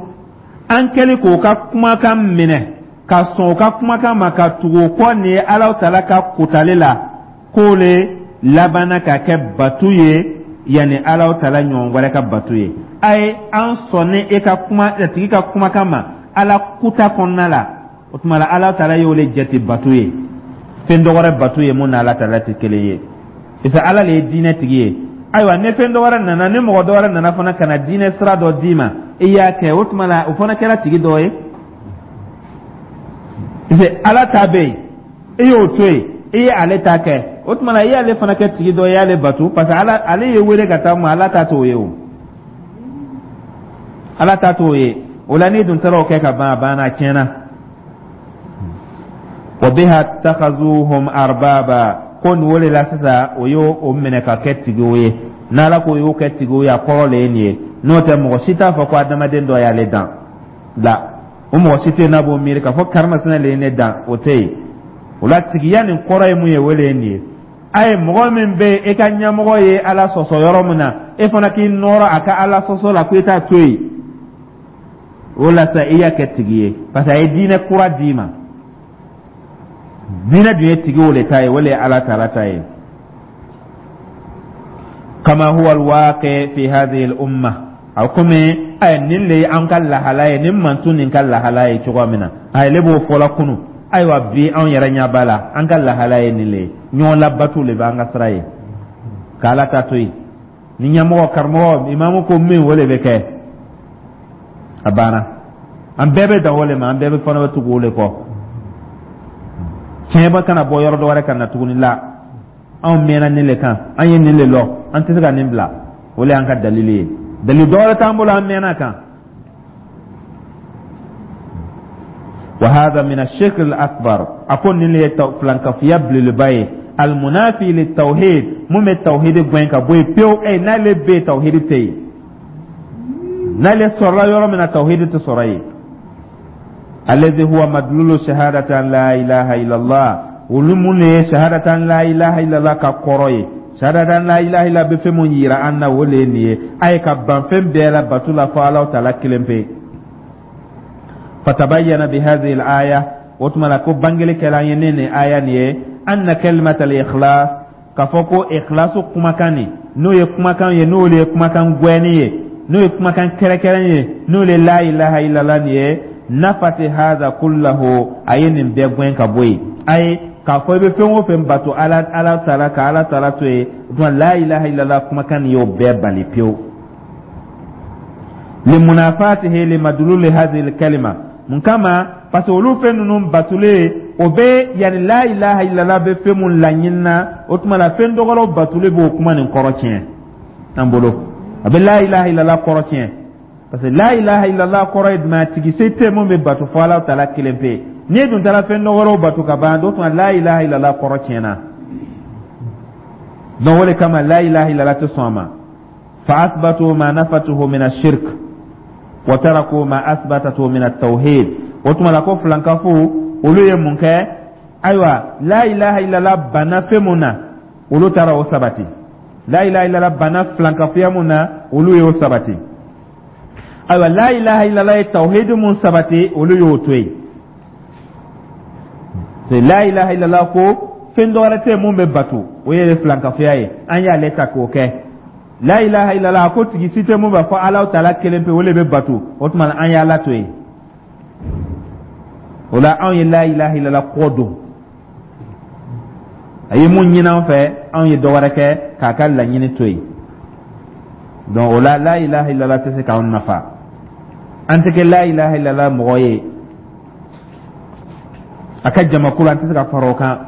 an kɛli k'o ka kumakan minɛ, ka sɔn o ka kumakan ma, ka tugu o kɔ nin ye Alahu taala ka kotali la, k'o le labanna ka kɛ batu ye, yanni Alahu taala ɲɔgɔn wɛrɛ ka batu ye. A ye an sɔnni e ka kuma a tigi ka kumakan ma Ala kuta kɔnɔna la, o tuma la, Alahu taala y'o le jate batu ye, fɛn dɔ wɛrɛ batu ye mun n'Ala taala tɛ kelen ye, parce que Ala le ye diinɛ tigi ye. Ayiwa, ni fɛn dɔ wɛrɛ nana, ni mɔgɔ dɔ wɛrɛ nana fana ka na diinɛ sira dɔ d'i ma, i y'a kɛ, o tuma la, o fana kɛra tigi dɔ ye, parce que Ala ta bɛ yen, i y'o to yen, i ye ale ta kɛ. O tuma la, i y'ale fana kɛ tigi dɔ ye, i y'ale batu, parce que Ala ale ye wele ka taa mun, Ala ta t'o ye o, Ala ta t'o ye. O la, n'i dun taara o kɛ ka ban, a banna, a tiɲɛna. Wa biha takhazuhum arbaba, ko nin o de la sisan, o y'o o minɛ ka kɛ tigiw ye. N'Ala ko y'o kɛ tigiw ye, a kɔrɔ le ye nin ye. N'o tɛ, mɔgɔ si t'a fɔ ko adamaden dɔ y'ale dan la. O mɔgɔ si tɛ yen n'a b'o miiri k'a fɔ karimasina le ye ne dan, o tɛ yen. O la, tigiya nin kɔrɔ ye mun ye? O de ye nin ye. A ye mɔgɔ min bɛ yen, e ka ɲɛmɔgɔ ye Ala sɔsɔ yɔrɔ min na, e fana k'i nɔrɔ a ka Ala sɔsɔ la ko i t'a to yen, o la sa, i y'a kɛ tigi ye, parce que a ye diinɛ kura d'i ma. Diinɛ dun ye tigiw de ta ye, o de ye Ala taala ta ye. Kama huwa alwaqi fi hadhihi al-umma, a komi ɛ nin le ye an ka lahala ye, nin mantu nin ka lahala ye cogoya min na, a le b'o fɔla kunu. Ayiwa, bi anw yɛrɛ ɲɛ b'a la, an ka lahala ye nin le ye. Ɲɔgɔn labatu le b'an ka sira ye, k'Ala ta to yen. Ni ɲɛmɔgɔ, karamɔgɔ, imamu ko min, o de bɛ kɛ, a banna. An bɛɛ bɛ dan o le ma, an bɛɛ bɛ fana bɛ tugu o le kɔ. Tiɲɛ bɛ kana bɔ yɔrɔ dɔ wɛrɛ ka na tuguni la. Anw mɛnna nin le kan, an ye nin le lɔ, an tɛ se ka nin bila. O le y'an ka dalili ye, dalili dɔ wɛrɛ t'an bolo, an mɛnna kan. Wa hadha min ash-shirk al-akbar, a ko nin le ye filankafoya belebeleba ye, almunafi litawhid, mun bɛ tawhid gɛn ka bɔ yen pewu. Ɛ n'ale bɛ yen, tawhid tɛ yen. N'ale sɔrɔla yɔrɔ min na, tawhidi tɛ sɔrɔ yen. Allazi huwa madlulu shahadati an la ilaha illallah, olu mun de ye shahadati an la ilaha illallah ka kɔrɔ ye? Shahadati an la ilaha illallah bɛ fɛn mun yira an na, o de ye nin ye. A ye ka ban fɛn bɛɛ la bato la fo Alahu taala kelen pe. Fatabayyana bi hadhihi al-aya, o tuma la ko bangeli kɛla an ye ne nin aya nin ye, anna kalimata al-ikhlas, k'a fɔ ko ikhlasu kumakan nin, n'o ye kumakan ye, n'o ye kumakan gwɛni ye, n'o ye kumakan kɛrɛkɛrɛn ye, n'o ye la ilaha illallah nin ye, nafati hadha kullahu, a ye nin bɛɛ gwɛn ka bɔ yen. A ye k'a fɔ i bɛ fɛn o fɛn bato ala ala taala ka Ala taala to yen, o tuma la ilaha illallah kumakan nin y'o bɛɛ bali pewu. Limunafatihi limadululi hadhihi kalima, mun kama? Parce que olu fɛn ninnu batulen, o bɛ yanni la ilaha illallah bɛ fɛn mun laɲini na, o tuma la fɛn dɔgɔrɔw batulen b'o kuma nin kɔrɔ tiɲɛ an bolo. A bɛ la ilaha illallah kɔrɔ tiɲɛ, parce que la ilaha illallah kɔrɔ ye jumɛn? Tigi se tɛ mun bɛ bato fo Ala taala kelen pe. N'i dun taara fɛn dɔgɔrɔw bato ka ban, o tuma la ilaha illallah kɔrɔ tiɲɛna. Donc o de kama la ilaha illallah tɛ sɔn a ma. Fa asbatu ma nafatuhu min ashirk wa taraku ma asbatatu min at-tauhid. O tuma la ko filankafo, olu ye mun kɛ? Ayiwa, la ilaha illallah banna fɛn mun na, olu taara o sabati. La ilaha illallah banna filankafoya mun na, olu y'o sabati. Ayiwa, la ilaha illallah ye tawhid mun sabati, olu y'o to yen. La ilaha illallah ko fɛn dɔ wɛrɛ tɛ mun bɛ bato, o ye filankafoya ye, an y'ale ta k'o kɛ. La ilaha illallah ko tigi si tɛ mun b'a fɔ Ala taala kelen pe, o de bɛ bato, o tuma an y'Ala to yen. O la anw ye la ilaha illallah kɔ don. A ye mun ɲini an fɛ, anw ye dɔ wɛrɛ kɛ k'a ka laɲini to yen. Donc o la la ilaha illallah tɛ se k'anw nafa. An tɛ kɛ la ilaha illallah mɔgɔ ye a ka jamakulu, an tɛ se ka fara o kan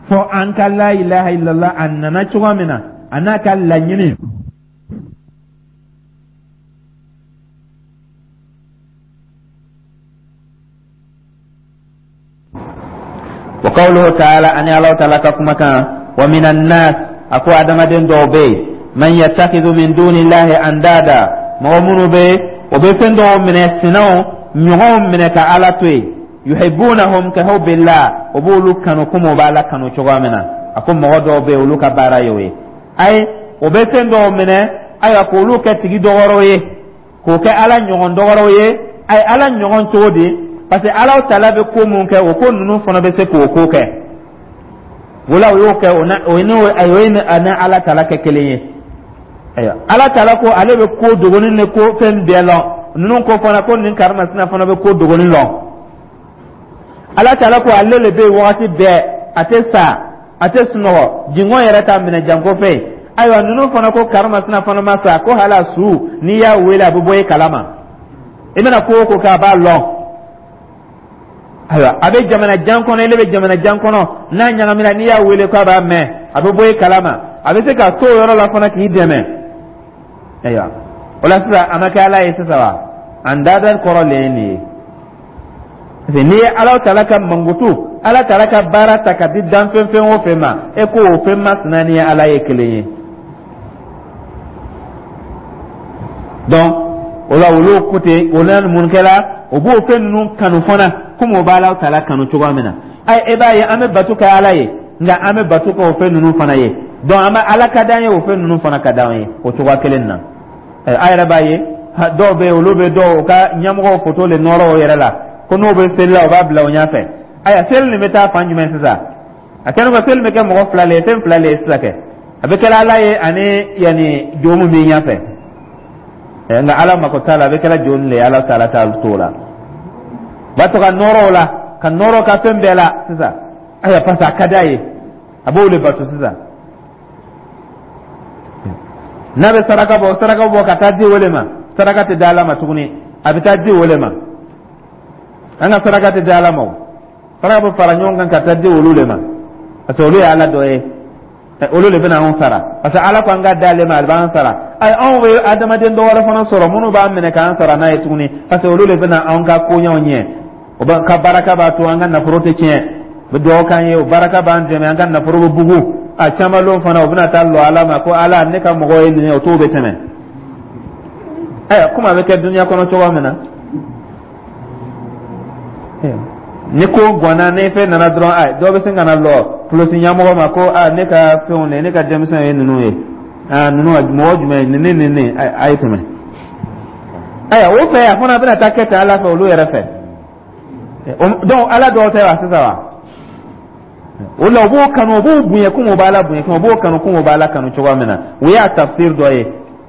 fɔ an ka la ilaha illallah a nana cogoya min na, a n'a ka laɲini. Wa qawluhu ta'ala, ani Ala ta'ala ka kumakan, wa minan nas, a ko adamaden dɔw bɛ yen, man yattakhidhu min dunillahi andada, mɔgɔ minnu bɛ o bɛ fɛn dɔw minɛ, sinaw ɲɔgɔnw minɛ ka Ala to yen, yuhibbunahum ka hubbillah, o b'olu kanu komi o b'Ala kanu cogoya min na. A ko mɔgɔ dɔw bɛ yen, olu ka baara ye o ye. Ayi, o bɛ fɛn dɔw minɛ, ayiwa, k'olu kɛ tigi dɔgɔrɔw ye, k'o kɛ Ala ɲɔgɔn dɔgɔrɔw ye. Ayi, Ala ɲɔgɔn cogo di? Parce que Ala taala bɛ ko mun kɛ, o ko ninnu fana bɛ se k'o ko kɛ. O la o y'o kɛ, o na o ye n'o o ye ni Ala taala kɛ kelen ye. Ayiwa, Ala taala ko ale bɛ ko dogonin ni ko fɛn bɛɛ lɔn. Ninnu ko fana ko nin karimasina fana bɛ ko dogonin lɔn. Ala taala ko ale le bɛ yen wagati bɛɛ, a tɛ sa, a tɛ sunɔgɔ, jingɔn yɛrɛ t'a minɛ janko fɛn. Ayiwa, ninnu fana ko karimasina fana ma sa, ko hali a su n'i y'a wele, a bɛ bɔ i kalama, i bɛna ko o ko kɛ, a b'a lɔn. Ayiwa, a bɛ jamana jan kɔnɔ, ele bɛ jamana jan kɔnɔ, n'a ɲagamina, n'i y'a wele k'a b'a mɛn, a bɛ bɔ i kalama, a bɛ se ka to o yɔrɔ la fana k'i dɛmɛ. Ayiwa, o la sisan a ma kɛ Ala ye sisan wa? An dada kɔrɔ le ye nin ye, parce que n'i ye Ala taala ka mankutu, Ala taala ka baara ta ka di danfɛn fɛn o fɛn ma, e ko o fɛn masina ni Ala ye kelen ye. Donc o la olu ko ten, o la mun kɛra? O b'o fɛn ninnu kanu fana komi o b'Ala taala kanu cogoya min na. Ayi, e b'a ye an bɛ bato kɛ Ala ye, nka an bɛ bato kɛ o fɛn ninnu fana ye. Donc an bɛ Ala ka d'an ye, o fɛn ninnu fana ka d'an ye o cogoya kelen na. A yɛrɛ b'a ye dɔw bɛ yen, olu bɛ dɔw ka ɲɛmɔgɔw foto le nɔrɔ o yɛrɛ la, ko n'o bɛ seli la, o b'a bila o ɲɛfɛ. Ayiwa, seli nin bɛ taa fan jumɛn sisan? A kɛlen ko seli bɛ kɛ mɔgɔ fila le ye, fɛn fila le ye sisan kɛ, a bɛ kɛra Ala ye ani yanni jo min b'i ɲɛfɛ. Nka Ala mako t'a la, a bɛ kɛra jo le ye, Ala taala t'a t'o la. B'a to ka nɔrɔ o la, ka nɔrɔ ka fɛn bɛɛ la sisan. Ayiwa, parce que a ka d'a ye, a b'o de bato sisan. N'a bɛ saraka bɔ, saraka bɔ ka taa di o de ma. Saraka tɛ di Ala ma tuguni, a bɛ taa di o de ma. An ka saraka tɛ di Ala ma, o saraka bɛ fara ɲɔgɔn kan ka taa di olu de ma, parce que olu ye Ala dɔ ye, olu de bɛna anw sara, parce que Ala ko an ka d'ale ma, a b'an sara. Ayi, anw bɛ adamaden dɔ wɛrɛ fana sɔrɔ minnu b'an minɛ k'an sara n'a ye tuguni, parce que olu de bɛna anw ka koɲɛw ɲɛ. O b'a ka baraka b'a to an ka nafolo tɛ tiɲɛ, u bɛ dugawu k'an ye, o baraka b'an dɛmɛ, an ka nafolo bɛ bugu. A caman lon fana, o bɛna taa lɔ Ala ma ko Ala, ne ka mɔgɔ ye nin ye, o t'o bɛ tɛmɛ. Ayiwa, komi a bɛ kɛ dunuya kɔnɔ cogoya min na, ni ko ganna, ni fɛn nana dɔrɔn, a dɔw bɛ sin ka na lɔ polisi ɲɛmɔgɔ ma ko a ne ka fɛnw de, ne ka denmisɛnw ye ninnu ye, aa ninnu mɔgɔ jumɛn nin ni nin nin, a ye tɛmɛ. Ayiwa, o fɛ a fana bɛna taa kɛ ten Ala fɛ, olu yɛrɛ fɛ. Donc Ala dɔw tɛ wa sisan wa? O la u b'o kanu, u b'o bonya komi u b'Ala bonya, komi u b'o kanu komi u b'Ala kanu cogoya min na. O y'a tafsir dɔ ye.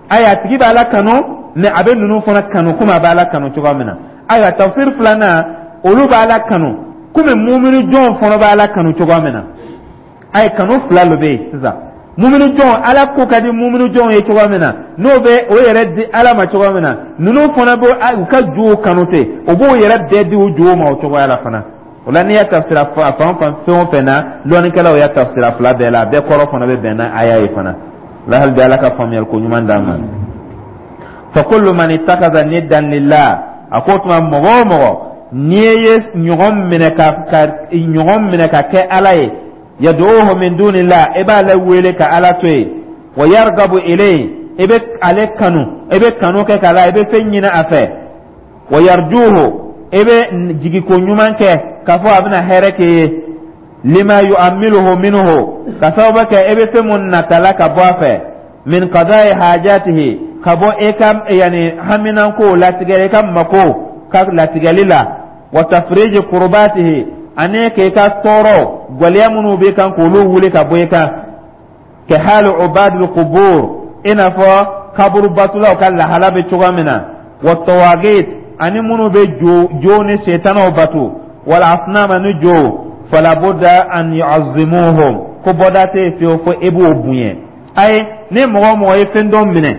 Ayiwa, a tigi b'Ala kanu, mais a bɛ ninnu fana kanu komi a b'Ala kanu cogoya min na. Ayiwa, tafsir filanan, olu b'Ala kanu komi mumini jɔn fana b'Ala kanu cogoya min na. Ayi, kanu fila de bɛ yen sisan. Mumini jɔn, Ala ko ka di mumini jɔn ye cogoya min na, n'o bɛ o yɛrɛ di Ala ma cogoya min na, ninnu fana bɛ u ka jow kanu ten, o b'o yɛrɛ bɛɛ di u jow ma o cogoya la fana. O la, n'i y'a tafsira fan fan, fɛn o fɛn na, lɔnnikɛlaw y'a tafsira fila bɛɛ la, a bɛɛ kɔrɔ fana bɛ bɛn n'a aya ye fana la. Hali bi, Ala ka faamuyali ko ɲuman d'an ma. Fa kullu man ittakhadha niddan lillah, a ko tuma, mɔgɔ o mɔgɔ n'i ye ɲɔgɔn minɛ ka ka ɲɔgɔn minɛ ka kɛ Ala ye, yad'uhu min dunillah, i b'ale wele ka Ala to yen, wa yargabu ilayhi, i bɛ ale kanu, i bɛ kanu kɛ k'a la, i bɛ fɛn ɲini a fɛ, wa yarjuhu, i bɛ jigiko ɲuman kɛ k'a fɔ a bɛna hɛrɛ k'i ye, lima yu'ammiluhu minhu, ka sababu kɛ i bɛ fɛn mun natala ka bɔ a fɛ, min qada'i hajatihi, ka bɔ e ka yani haminanko latigɛ, i ka mako ka latigɛli la, wa tafriji kurbatihi, ani k'i ka tɔɔrɔ gwɛlɛya minnu b'i kan k'olu wuli ka bɔ i kan, ka hali ubadul qubur, i n'a fɔ kaburu batulaw ka lahala bɛ cogoya min na, wa tawagit, ani minnu bɛ jo jo ni setanaw batu, wal asnama, ni jo, fala budda an yu'azzimuhum, ko bɔda tɛ yen fiyewu fo e b'o bonya. Ayi, ni mɔgɔ o mɔgɔ ye fɛn dɔ minɛ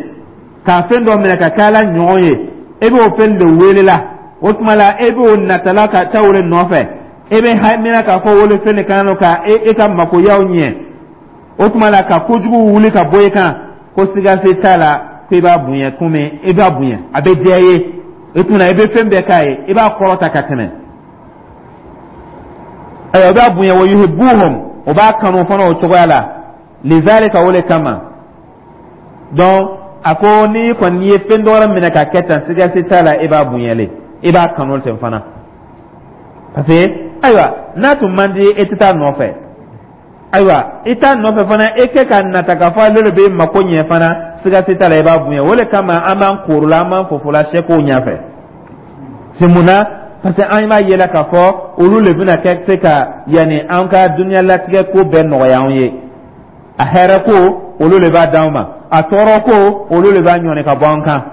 ka fɛn dɔ minɛ ka kɛ Ala ɲɔgɔn ye, e b'o fɛn de wele la, o tuma la e b'o natala ka taa o de nɔfɛ, e bɛ hamina k'a fɔ wolo fɛn de kan ka e ka makoyaw ɲɛ, o tuma la ka kojugu wuli ka bɔ i kan, ko siga se t'a la ko i b'a bonya, komi i b'a bonya, a bɛ diya i ye, o tuma i bɛ fɛn bɛɛ k'a ye, i b'a kɔrɔta ka tɛmɛ. Ayiwa, o b'a bonya, wa yuhibbuhum, o b'a kanu fana o cogoya la, lizalika, o de kama. Donc a ko n'i kɔni ye fɛn dɔ wɛrɛ minɛ ka kɛ tan, siga se t'a la, i b'a bonyalen, i b'a kanu ten fana, parce que ayiwa, n'a tun man di, e tɛ taa nɔfɛ. Ayiwa, i t'a nɔfɛ fana, e kɛ ka nata k'a fɔ ale de bɛ mako ɲɛ fana, siga se t'a la, i b'a bonya. O de kama an b'an korola, an b'an fofola sɛkow ɲɛfɛ. C'est mun na? Parce que an b'a yela k'a fɔ olu de bɛna kɛ se ka yanni an ka dunuya latigɛ ko bɛɛ nɔgɔya anw ye. A hɛrɛ ko, olu de b'a d'anw ma, a tɔɔrɔ ko, olu de b'a ɲɔni ka bɔ an kan.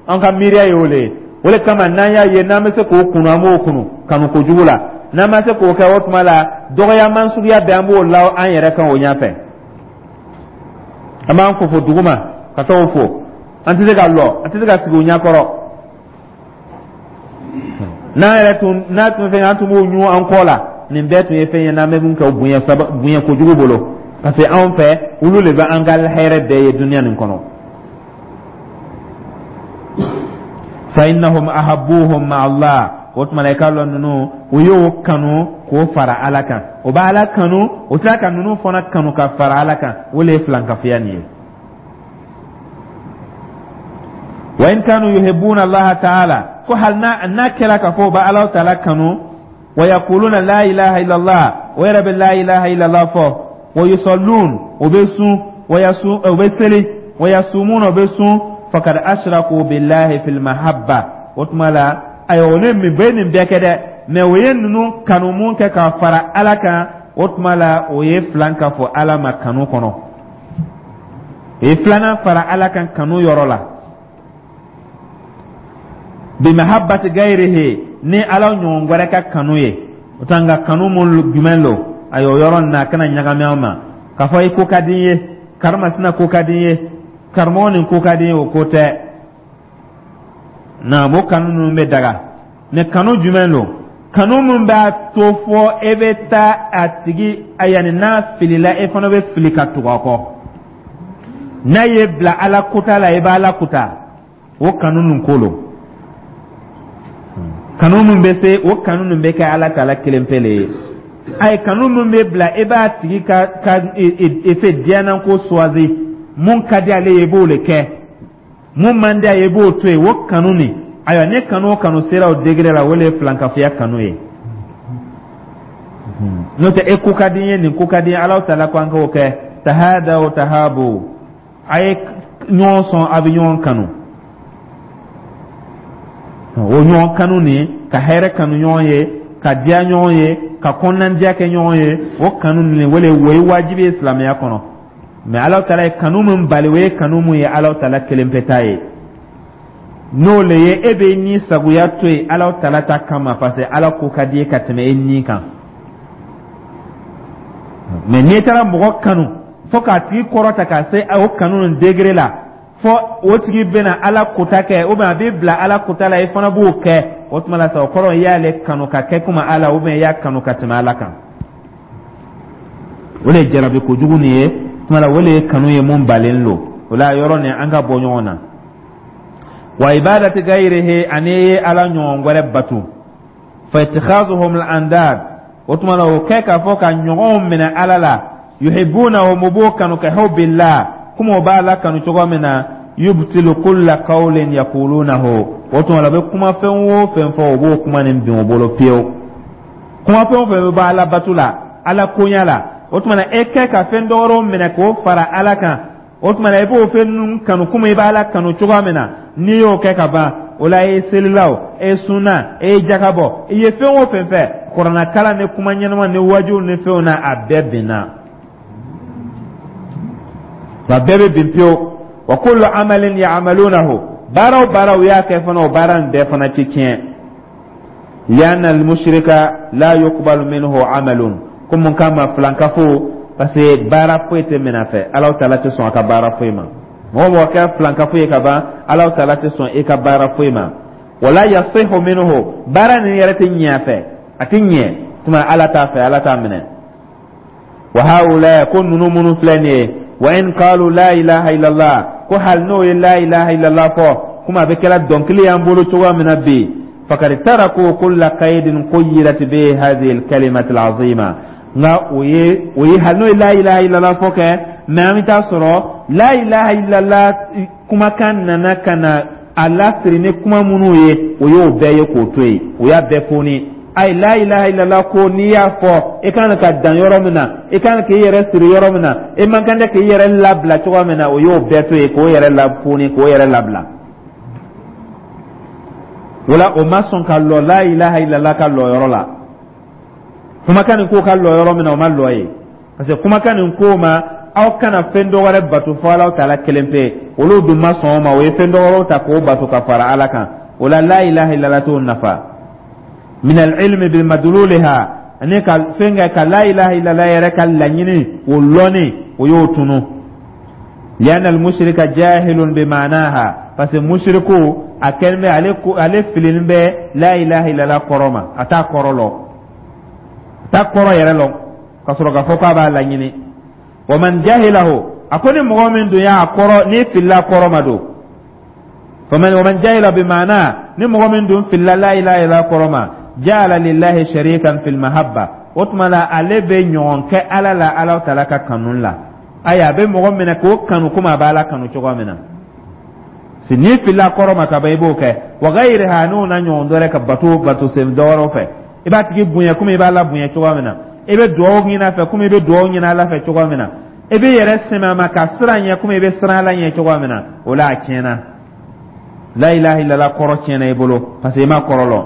An ka miiriya ye o de ye. O de kama n'an y'a ye n'an bɛ se k'o kunu, an b'o kunu kanu kojugu la. N'an ma se k'o kɛ, o tuma la dɔgɔyaman suguya bɛɛ, an b'o la an yɛrɛ kan o ɲɛfɛ. An b'an fofo duguma ka t'o fo, an tɛ se ka lɔ, an tɛ se ka sigi o ɲɛkɔrɔ. N'an yɛrɛ tun n'a tun fɛn, an tun b'o ɲun an kɔ la. Nin bɛɛ tun ye fɛn ye n'an bɛ mun kɛ bonya saba, bonya kojugu bolo, parce que anw fɛ, olu de bɛ an ka hɛrɛ bɛɛ ye dunuya nin kɔnɔ. Fa innahum ahabbuhum ma Allah, o tuma na i k'a lɔn ninnu, u y'o kanu k'o fara Ala kan. O bɛ Ala kanu, o tila ka ninnu fana kanu ka fara Ala kan. O de ye filankafoya nin ye. Wa in kanu yuhibbuna Allah ta'ala, ko hali n'a n'a kɛra k'a fɔ u bɛ Ala ta'ala kanu, wa yaquluna la ilaha illallah, o yɛrɛ bɛ la ilaha illallah fɔ, wa yusallun, o bɛ sun, wa yasun, o bɛ seli, wa yasumuna, o bɛ sun, faqad ashraku billahi fil mahabba. O tuma la, ayiwa, o ne min bɛ nin bɛɛ kɛ dɛ, mɛ o ye ninnu kanu mun kɛ ka fara Ala kan, o tuma la o ye filan ka fɔ Ala ma kanu kɔnɔ, o ye filanan fara Ala kan kanu yɔrɔ la, bi mahabbati gayrihi, ni Ala ɲɔgɔn wɛrɛ ka kanu ye. O tɛ nka kanu mun jumɛn lo? Ayiwa, o yɔrɔ nin na, a kana ɲagami an ma k'a fɔ i ko ka di n ye, karimasina ko ka di n ye, karamɔgɔ nin ko ka di n ye, o ko tɛ. Naam, o kanu ninnu bɛ daga, mɛ kanu jumɛn lo? Kanu min b'a to fɔ e bɛ taa a tigi, yanni n'a filila, e fana bɛ fili ka tugu a kɔ, n'a ye bila Ala kuta la, i b'a Ala kuta, o kanu nin ko lo. Kanu min bɛ se o kanu nin bɛ kɛ Ala ta la kelen pe le ye. A ye kanu min bɛ bila e b'a tigi ka ka e fɛ diɲɛna ko suwazi, mun ka di ale ye, i b'o de kɛ. Mun man di a ye, i b'o to yen. O kanu nin, ayiwa, ne kanu o kanu sera o degré la, o le ye filankafoya kanu ye. N'o tɛ, e ko ka di n ye, nin ko ka di n ye. Alahu taala ko an k'o kɛ tahadaw tahabu, a ye ɲɔgɔn sɔn, a bɛ ɲɔgɔn kanu. O ɲɔgɔn kanu nin, ka hɛrɛ kanu ɲɔgɔn ye, ka diya ɲɔgɔn ye, ka kɔnɔnandiya kɛ ɲɔgɔn ye, o kanu nin, o le o ye wajibi ye silamɛya kɔnɔ. Mɛ Alahu taala ye kanu min bali, o ye kanu mun ye Alahu taala kelen pe ta ye. N'o le ye, e bɛ ni sagoya to yen Alahu taala ta kama, parce que Ala ko ka di ye ka tɛmɛ e ni kan. Mɛ n'i taara mɔgɔ kanu fo k'a tigi kɔrɔta ka se o kanu nin degré la, fo o tigi bɛna Ala kota kɛ, ou bien a b'i bila Ala kota la, i fana b'o kɛ, o tuma la sa, o kɔrɔ i y'ale kanu ka kɛ komi Ala, ou bien i y'a kanu ka tɛmɛ Ala kan. O de ye jarabi kojugu nin ye. Tuma la, o de ye kanu ye mun balen don. O la, yɔrɔ nin, an ka bɔ ɲɔgɔn na. Wa ibadati gayrihi, ani ye Ala ɲɔgɔn wɛrɛ batu, fa ittikhazuhum al andad, o tuma la, o kɛ k'a fɔ ka ɲɔgɔnw minɛ Ala la, yuhibbunahum, u b'o kanu, ka hubbillah, komi o b'a la kanu cogo min na, yubtilu kulla qawlin yaqulunahu, o tuma la, u bɛ kuma fɛn o fɛn fɔ, o b'o kuma nin bin o bolo pewu. Kuma fɛn o fɛn bɛ bɔ Ala batu la, Ala koɲa la, o tuma na, e kɛ ka fɛn dɔwɛrɛw minɛ k'o fara Ala kan, o tuma na, i b'o fɛn ninnu kanu komi i b'Ala kanu cogoya min na. N'i y'o kɛ ka ban, o la, e ye selila o, e ye sunna, e ye jaka bɔ, i ye fɛn o fɛn fɛ, kuranɛkalan ni kuma ɲɛnama ni wajiw ni fɛnw na, a bɛɛ binna, a bɛɛ bɛ bin pewu. Wa kullu amalin ya'malunahu, baara o baara u y'a kɛ fana, o baara in bɛɛ fana ti tiɲɛ. Lianna al-mushrika la yuqbalu minhu amalun, ko mun kama? Filankafo, parce que baara foyi tɛ minɛ a fɛ. Alahu taala tɛ sɔn a ka baara foyi ma. Mɔgɔ mɔgɔ kɛra filankafo ye ka ban, Alahu taala tɛ sɔn i ka baara foyi ma. Wala yasihu minhu, baara nin yɛrɛ tɛ ɲɛ a fɛ, a tɛ ɲɛ tuma Ala t'a fɛ, Ala t'a minɛ. Wa haula, ko ninnu minnu filɛ nin ye, wa in qalu la ilaha illallah, ko hali n'o ye la ilaha illallah fɔ, komi a bɛ kɛra dɔnkili y'an bolo cogoya min na bi, fakad taraku kulla qaydin quyyidat bihi hadhihi alkalimatu alazima. Nka o ye o ye hali n'o ye la ilaha illallah fɔ kɛ, mɛ an bɛ taa sɔrɔ la ilaha illallah kumakan nana ka na a lasiri ni kuma minnu ye, o y'o bɛɛ ye k'o to yen, o y'a bɛɛ foni. Ayi, la ilaha illallah, ko n'i y'a fɔ, i kan ka dan yɔrɔ min na, i kan k'i yɛrɛ siri yɔrɔ min na, i man kan tɛ k'i yɛrɛ labila cogoya min na, o y'o bɛɛ to yen k'o yɛrɛ lafoni, k'o yɛrɛ labila. O la, o ma sɔn ka lɔ la ilaha illallah ka lɔ yɔrɔ la. Kumakan nin ko ka lɔ yɔrɔ min na, o ma lɔ ye, parce que kumakan nin ko ma aw kana fɛn dɔ wɛrɛ bato fo Alaw taala kelen pe. Olu dun ma sɔn o ma, o ye fɛn dɔ wɛrɛw ta k'o bato ka fara Ala kan. O la, la ilaha illallah t'o nafa. Min al-ilmi bi madluliha, ani ka fɛn kɛ ka la ilaha illallah yɛrɛ ka laɲini o lɔnni, o y'o tunu. Lianna al-mushrika jahilun bi ma'naha, parce que mushriku a kɛlen bɛ ale ko ale filinin bɛ la ilaha illallah kɔrɔ ma, a t'a kɔrɔ lɔn, a t'a kɔrɔ yɛrɛ lɔn, ka sɔrɔ k'a fɔ k'a b'a laɲini. Wa man jahilahu, a ko ni mɔgɔ min dun y'a kɔrɔ, n'i filila kɔrɔ ma don, faman wa man jahila bi ma'na, ni mɔgɔ min dun filila la ilaha illallah kɔrɔ ma, ja'ala lillahi sharikan fil mahabba, o tuma la, ale bɛ ɲɔgɔn kɛ Ala la, Ala taala ka kanu la. Ayi, a bɛ mɔgɔ minɛ k'o kanu komi a b'Ala kanu cogoya min na. Si n'i filila kɔrɔ ma ka ban, i b'o kɛ. Wa ghayriha, n'o na ɲɔgɔn dɔ wɛrɛ, ka bato bato sen dɔ wɛrɛw fɛ, i b'a tigi bonya komi i b'a la bonya cogoya min na, i bɛ dugawu ɲini a fɛ komi i bɛ dugawu ɲini Ala fɛ cogoya min na, i bɛ yɛrɛ sɛmɛ a ma ka siran ɲɛ komi i bɛ siran Ala ɲɛ cogoya min na. O la, a tiɲɛna, la ilaha illallah kɔrɔ tiɲɛna i bolo, parce que i ma kɔrɔ lɔn.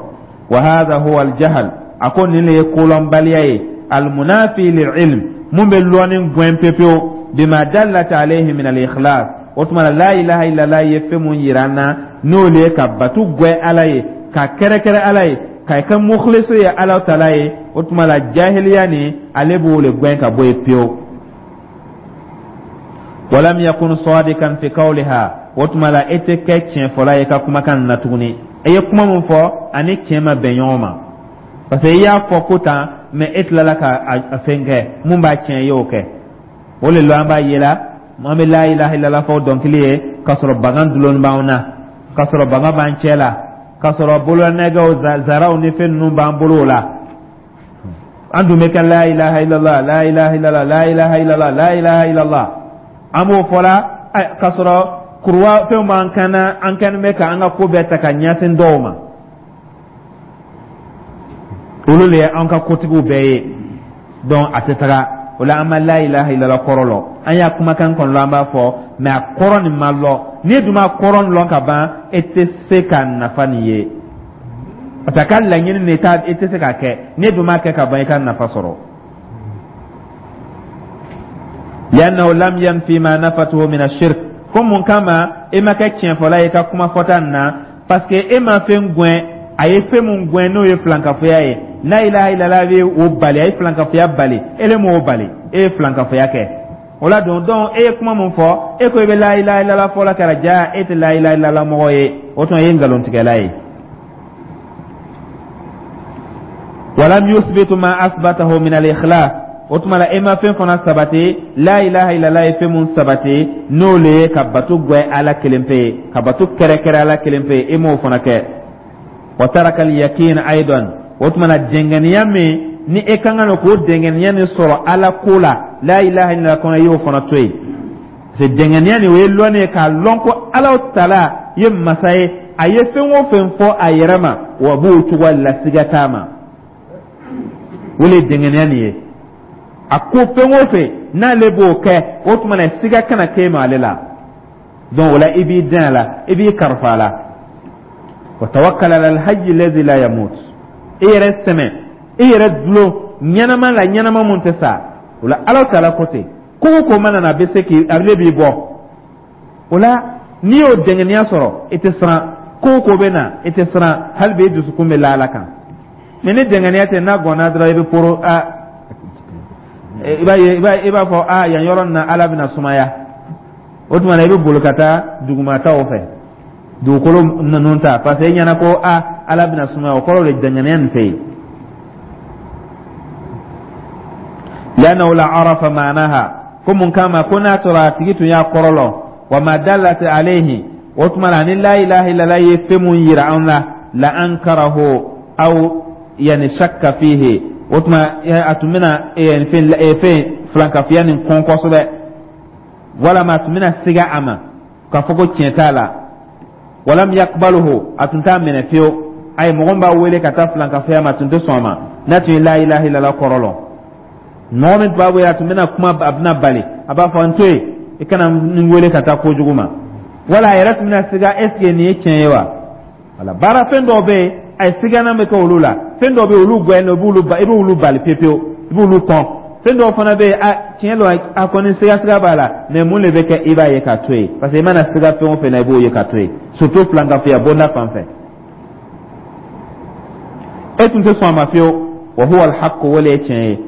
Wa hadha huwa al-jahl, a ko nin le ye kolɔnbaliya ye, almunafi lil-ilm, mun bɛ lɔnni gɛn pepewu, bima dallat alayhi min al-ikhlas. O tuma na, la ilaha illallah ye fɛn mun yira an na, n'o le ye ka batu gwɛ Ala ye, ka kɛrɛkɛrɛ Ala ye, ka kɛ mukhlisu ye Ala taala ye. O tuma la, jahiliya nin, ale b'o le gɛn ka bɔ yen pewu. Walam yakun sadikan fi qawliha, o tuma la, e tɛ kɛ tiɲɛfɔla ye ka kumakan na tuguni. I ye kuma min fɔ, ani tiɲɛ ma bɛn ɲɔgɔn ma, parce que i y'a fɔ ko tan, mɛ e tilala ka a fɛn kɛ mun b'a tiɲɛ, i y'o kɛ. O le la, an b'a ye la, an bɛ la ilaha illallah fɔ dɔnkili ye, k'a sɔrɔ bagan dulonni b'anw na, k'a sɔrɔ bagan b'an cɛ la, k'a sɔrɔ bololanɛgɛw, zaraw ni fɛn ninnu b'an bolo. O la, an dun bɛ kɛ la ilaha illallah, la ilaha illallah, la ilaha illallah, la ilaha illallah, an b'o fɔ la, k'a sɔrɔ Kuruwa fɛnw b'an kan na, an kɛlen bɛ ka an ka ko bɛɛ ta ka ɲɛsin dɔw ma, olu le ye an ka kotigiw bɛɛ ye. Donc a tɛ taga o la, an ma la ilaha illallah kɔrɔ lɔ. An y'a kumakan kɔnɔ, an b'a fɔ, mais a kɔrɔ nin ma lɔ. N'i dun ma kɔrɔ lɔn ka ban, e tɛ se ka nafa nin ye, parce que a ka laɲini nin i tɛ se k'a kɛ. N'i dun m'a kɛ ka ban, i ka nafa sɔrɔ. Li'annahu lam yanfi ma nafatuhu min ash-shirk. Ko mun kama e ma kɛ tiɲɛfɔla ye i ka kuma fɔta nin na? Parce que e ma fɛn gɛn, a ye fɛn mun gɛn, n'o ye filankafoya ye. La ilaha illallah bɛ o bali, a ye filankafoya bali, e le m'o bali, e ye filankafoya kɛ. O la don, donc e ye kuma mun fɔ, e ko i bɛ la ilaha illallah fɔla kɛra, ja e tɛ la ilaha illallah mɔgɔ ye, o tuma e ye nkalontigɛla ye. Walam yuthbitu ma asbatahu min al-ikhlas. O tuma la, e ma fɛn fana sabati, la ilaha illallah ye fɛn mun sabati, n'o le ye ka bato gwɛ Ala kelen pe ye, ka bato kɛrɛkɛrɛ Ala kelen pe ye, e m'o fana kɛ. Wa taraka al-yaqin aidan. O tuma na, dɛngɛniya min ni e kan ka k'o dɛngɛniya nin sɔrɔ Ala ko la la ilaha illallah kɔnɔ, i y'o fana to yen. Parce que dɛngɛniya nin, o ye lɔnni ye, k'a lɔn ko Ala tala ye masa ye, a ye fɛn o fɛn fɔ a yɛrɛ ma, wa b'o cogoya la, siga t'a ma. O le ye dɛngɛniya nin ye. A ko fɛn o fɛn n'ale b'o kɛ, o tuma na siga kana k'e ma ale la. Donc o la, i b'i den a la, i b'i karifa a la. Wa tawakkal ala alhayy alladhi la yamut. I yɛrɛ sɛmɛ, i yɛrɛ dulon ɲɛnama la, ɲɛnama mun tɛ sa. O la, Ala taala ko ten, ko o ko mana na, a bɛ se k'i ale b'i bɔ o la. N'i y'o dɛngɛniya sɔrɔ, i tɛ siran. Ko o ko bɛ na, i tɛ siran, hali bi i dusukun bɛ la Ala kan. Mais ni dɛngɛniya tɛ, n'a gɔnna dɔrɔn, i bɛ poro a, i b'a ye, i b'a fɔ a yan yɔrɔ nin na, Ala bɛna sumaya. O tuma na, i bɛ boli ka taa dugumataw fɛ, dugukolo ninnu ta, parce que e ɲɛna ko a Ala bɛna sumaya. O kɔrɔ de, dɛngɛniya nin tɛ yen. Li'annahu la arafa ma'naha. Ko mun kama? Ko n'a sɔrɔ a tigi tun y'a kɔrɔ lɔn, wa ma dallat alayhi, o tuma na ni la ilaha illallah ye fɛn mun yira an la, la ankarahu aw yani shakka fihi, o tuma a tun bɛna fɛn fɛn filankafoya nin kɔn kosɛbɛ, walama a tun bɛna siga a ma k'a fɔ ko tiɲɛ t'a la. Walam yakbaluhu, a tun t'a minɛ fiyewu. Ayi, mɔgɔ b'a wele ka taa filankafoya ma, a tun tɛ sɔn a ma n'a tun ye la ilaha illallah kɔrɔ lɔn. Mɔgɔ min tun b'a wele, a tun bɛna kuma, a bɛna bali, a b'a fɔ n to yen, i kana n wele ka taa kojugu ma. Wala a yɛrɛ tun bɛna siga, est ce que nin ye tiɲɛ ye wa? Wala baara fɛn dɔw bɛ yen, a ye sigana bɛ kɛ olu la. Fɛn dɔw bɛ yen, olu gɛn, i b'olu i b'olu bali pewu pewu, i b'olu kɔn. Fɛn dɔw fana bɛ yen, a tiɲɛ don, a kɔni siga siga b'a la, mais mun de bɛ kɛ? I b'a ye k'a to yen, parce que i mana siga fɛn o fɛn na, i b'o ye k'a to yen, surtout filankafoya bonda fan fɛ, e tun tɛ sɔn a ma fiyewu. Wa huwa alhaqqu, o le ye tiɲɛ ye.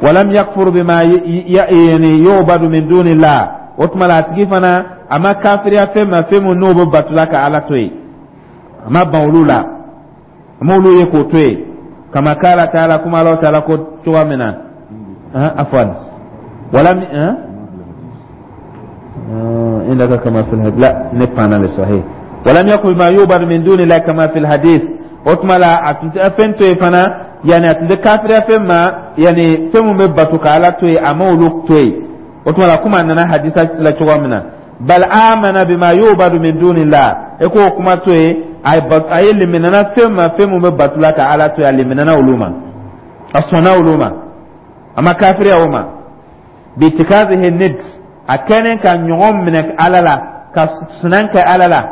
Walam yakfur bima yani yubadu min dunillah. O tuma la, a tigi fana a ma kafiriya fɛn ma, fɛn mun n'o bɛ batula ka Ala to yen, a ma ban olu la, a ma olu ye k'o to yen. Kama kala taala, kuma Ala taala ko cogoya min na, afwan, walam indaka kama fil hadith la ne panna le sahih. Walam yakfur bima yubadu min dunillahi kama fil hadith. O tuma la, a tun tɛ fɛn to yen fana, yani a tun tɛ kafiriya fɛn ma, yani fɛn mun bɛ bato ka Ala to yen, a ma olu to yen. O tuma la, komi a nana hadisa la cogoya min na, bal amana bima yubadu min dunillah, e k'o kuma to yen, a ye liminana fɛn ma, fɛn mun bɛ bato la ka Ala to yen, a liminana olu ma, a sɔnna olu ma, a ma kafiriya o ma. Bitikazihi nid, a kɛlen ka ɲɔgɔn minɛ Ala la, ka sunan kɛ Ala la.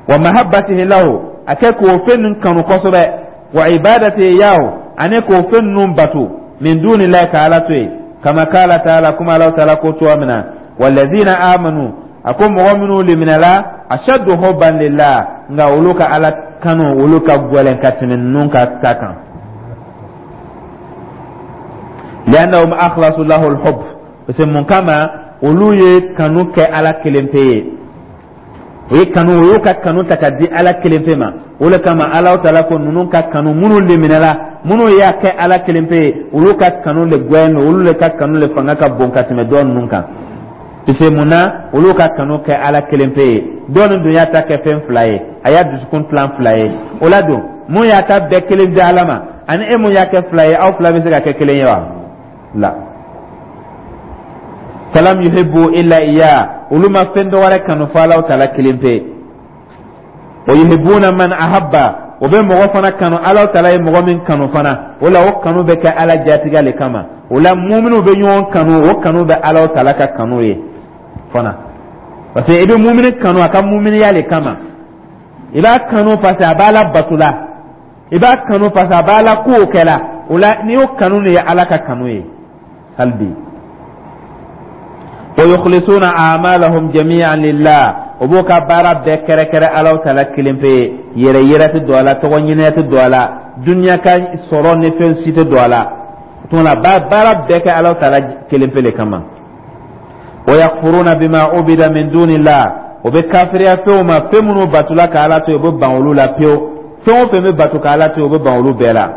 Wa mahabbatihi lahu, a kɛ k'o fɛn ninnu kanu kosɛbɛ. Wa ibadatihi yahu, ani k'o fɛn ninnu bato, min dunillahi, ka Ala to yen. Kama kala taala, kuma Ala taala ko cogoya min na, walladhina amanu, a ko mɔgɔ minnu liminɛla, ashaddu hubban lillah, nka olu ka Ala kanu, olu ka gɛlɛn ka tɛmɛ ninnu ka ta kan. Li'annahum akhlasu lahu al-hubb, parce que mun kama? Olu ye kanu kɛ Ala kelen pe ye. O ye kanu, o y'u ka kanu ta ka di Ala kelen pe ma. O le kama Ala taala ko ninnu ka kanu, minnu liminɛla, minnu y'a kɛ Ala kelen pe ye, olu ka kanu le gɛn, olu le ka kanu le fanga ka bon ka tɛmɛ dɔ ninnu kan. Parce que mun na? Olu ka kanu kɛ Ala kelen pe ye. Dɔw ni dun y'a ta kɛ fɛn fila ye, a y'a dusukun tilan fila ye. O la don, mun y'a ta bɛɛ kelen di Ala ma, ani e mun y'a kɛ fila ye, aw fila bɛ se ka kɛ kelen ye wa? La. Falam yuhibbu illa iya, olu ma fɛn dɔ wɛrɛ kanu fo Alaw Taala kelen pe. Wa yuhibbuna man ahabba, o bɛ mɔgɔ fana kanu Alaw Taala ye mɔgɔ min kanu fana. O la, o kanu bɛ kɛ Ala jatigɛ le kama. O la, muminiw bɛ ɲɔgɔn kanu, o kanu bɛ Alaw Taala ka kanu ye fana, parce que i bɛ mumini kanu a ka muminiya le kama. I b'a kanu parce que a b'a la bato la, i b'a kanu parce que a b'a la kow kɛ la. O la, n'i y'o kanu de ye Ala ka kanu ye hali bi. Wa yukhlisuna a'malahum jami'an lillah, o b'o ka baara bɛɛ kɛrɛkɛrɛ Alaw Taala kelen pe ye. Yɛrɛ yɛrɛ tɛ don a la, tɔgɔ ɲini tɛ don a la, duniya ka sɔrɔ ni fɛn si tɛ don a la. O tuma na, baara bɛɛ kɛ Alaw Taala kelen pe le kama. Wa yakfuruna bima ubida min dunillah, o bɛ kafiriya fɛnw ma, fɛn minnu batula ka Ala to yen, o bɛ ban olu la pewu. Fɛn o fɛn bɛ bato ka Ala to yen, o bɛ ban olu bɛɛ la.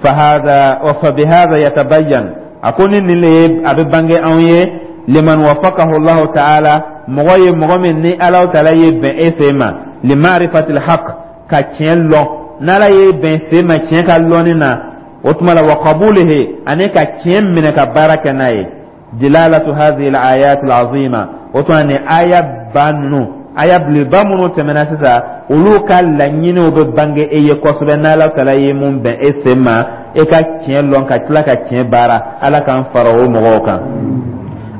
Fahada wa fabihada yatabayyan, a ko ni nin le ye, a bɛ bange anw ye, liman wafaqahu Allahu ta'ala, mɔgɔ ye mɔgɔ min ni Ala Taala ye bɛn e fɛ ma, limarifatil haq, ka tiɲɛ lɔn. N'Ala ye bɛn sen ma tiɲɛ ka lɔnni na, o tuma la, wa qabulihi, ani ka tiɲɛ minɛ ka baara kɛ n'a ye, dilalatu hadhihi al-ayat al-azima, o tuma ni aya ba ninnu, aya belebeleba minnu tɛmɛna sisan, olu ka laɲiniw bɛ bange e ye kosɛbɛ, n'Ala Taala ye mun bɛn e sen ma e ka tiɲɛ lɔn ka tila ka tiɲɛ baara. Ala k'an fara o mɔgɔw kan.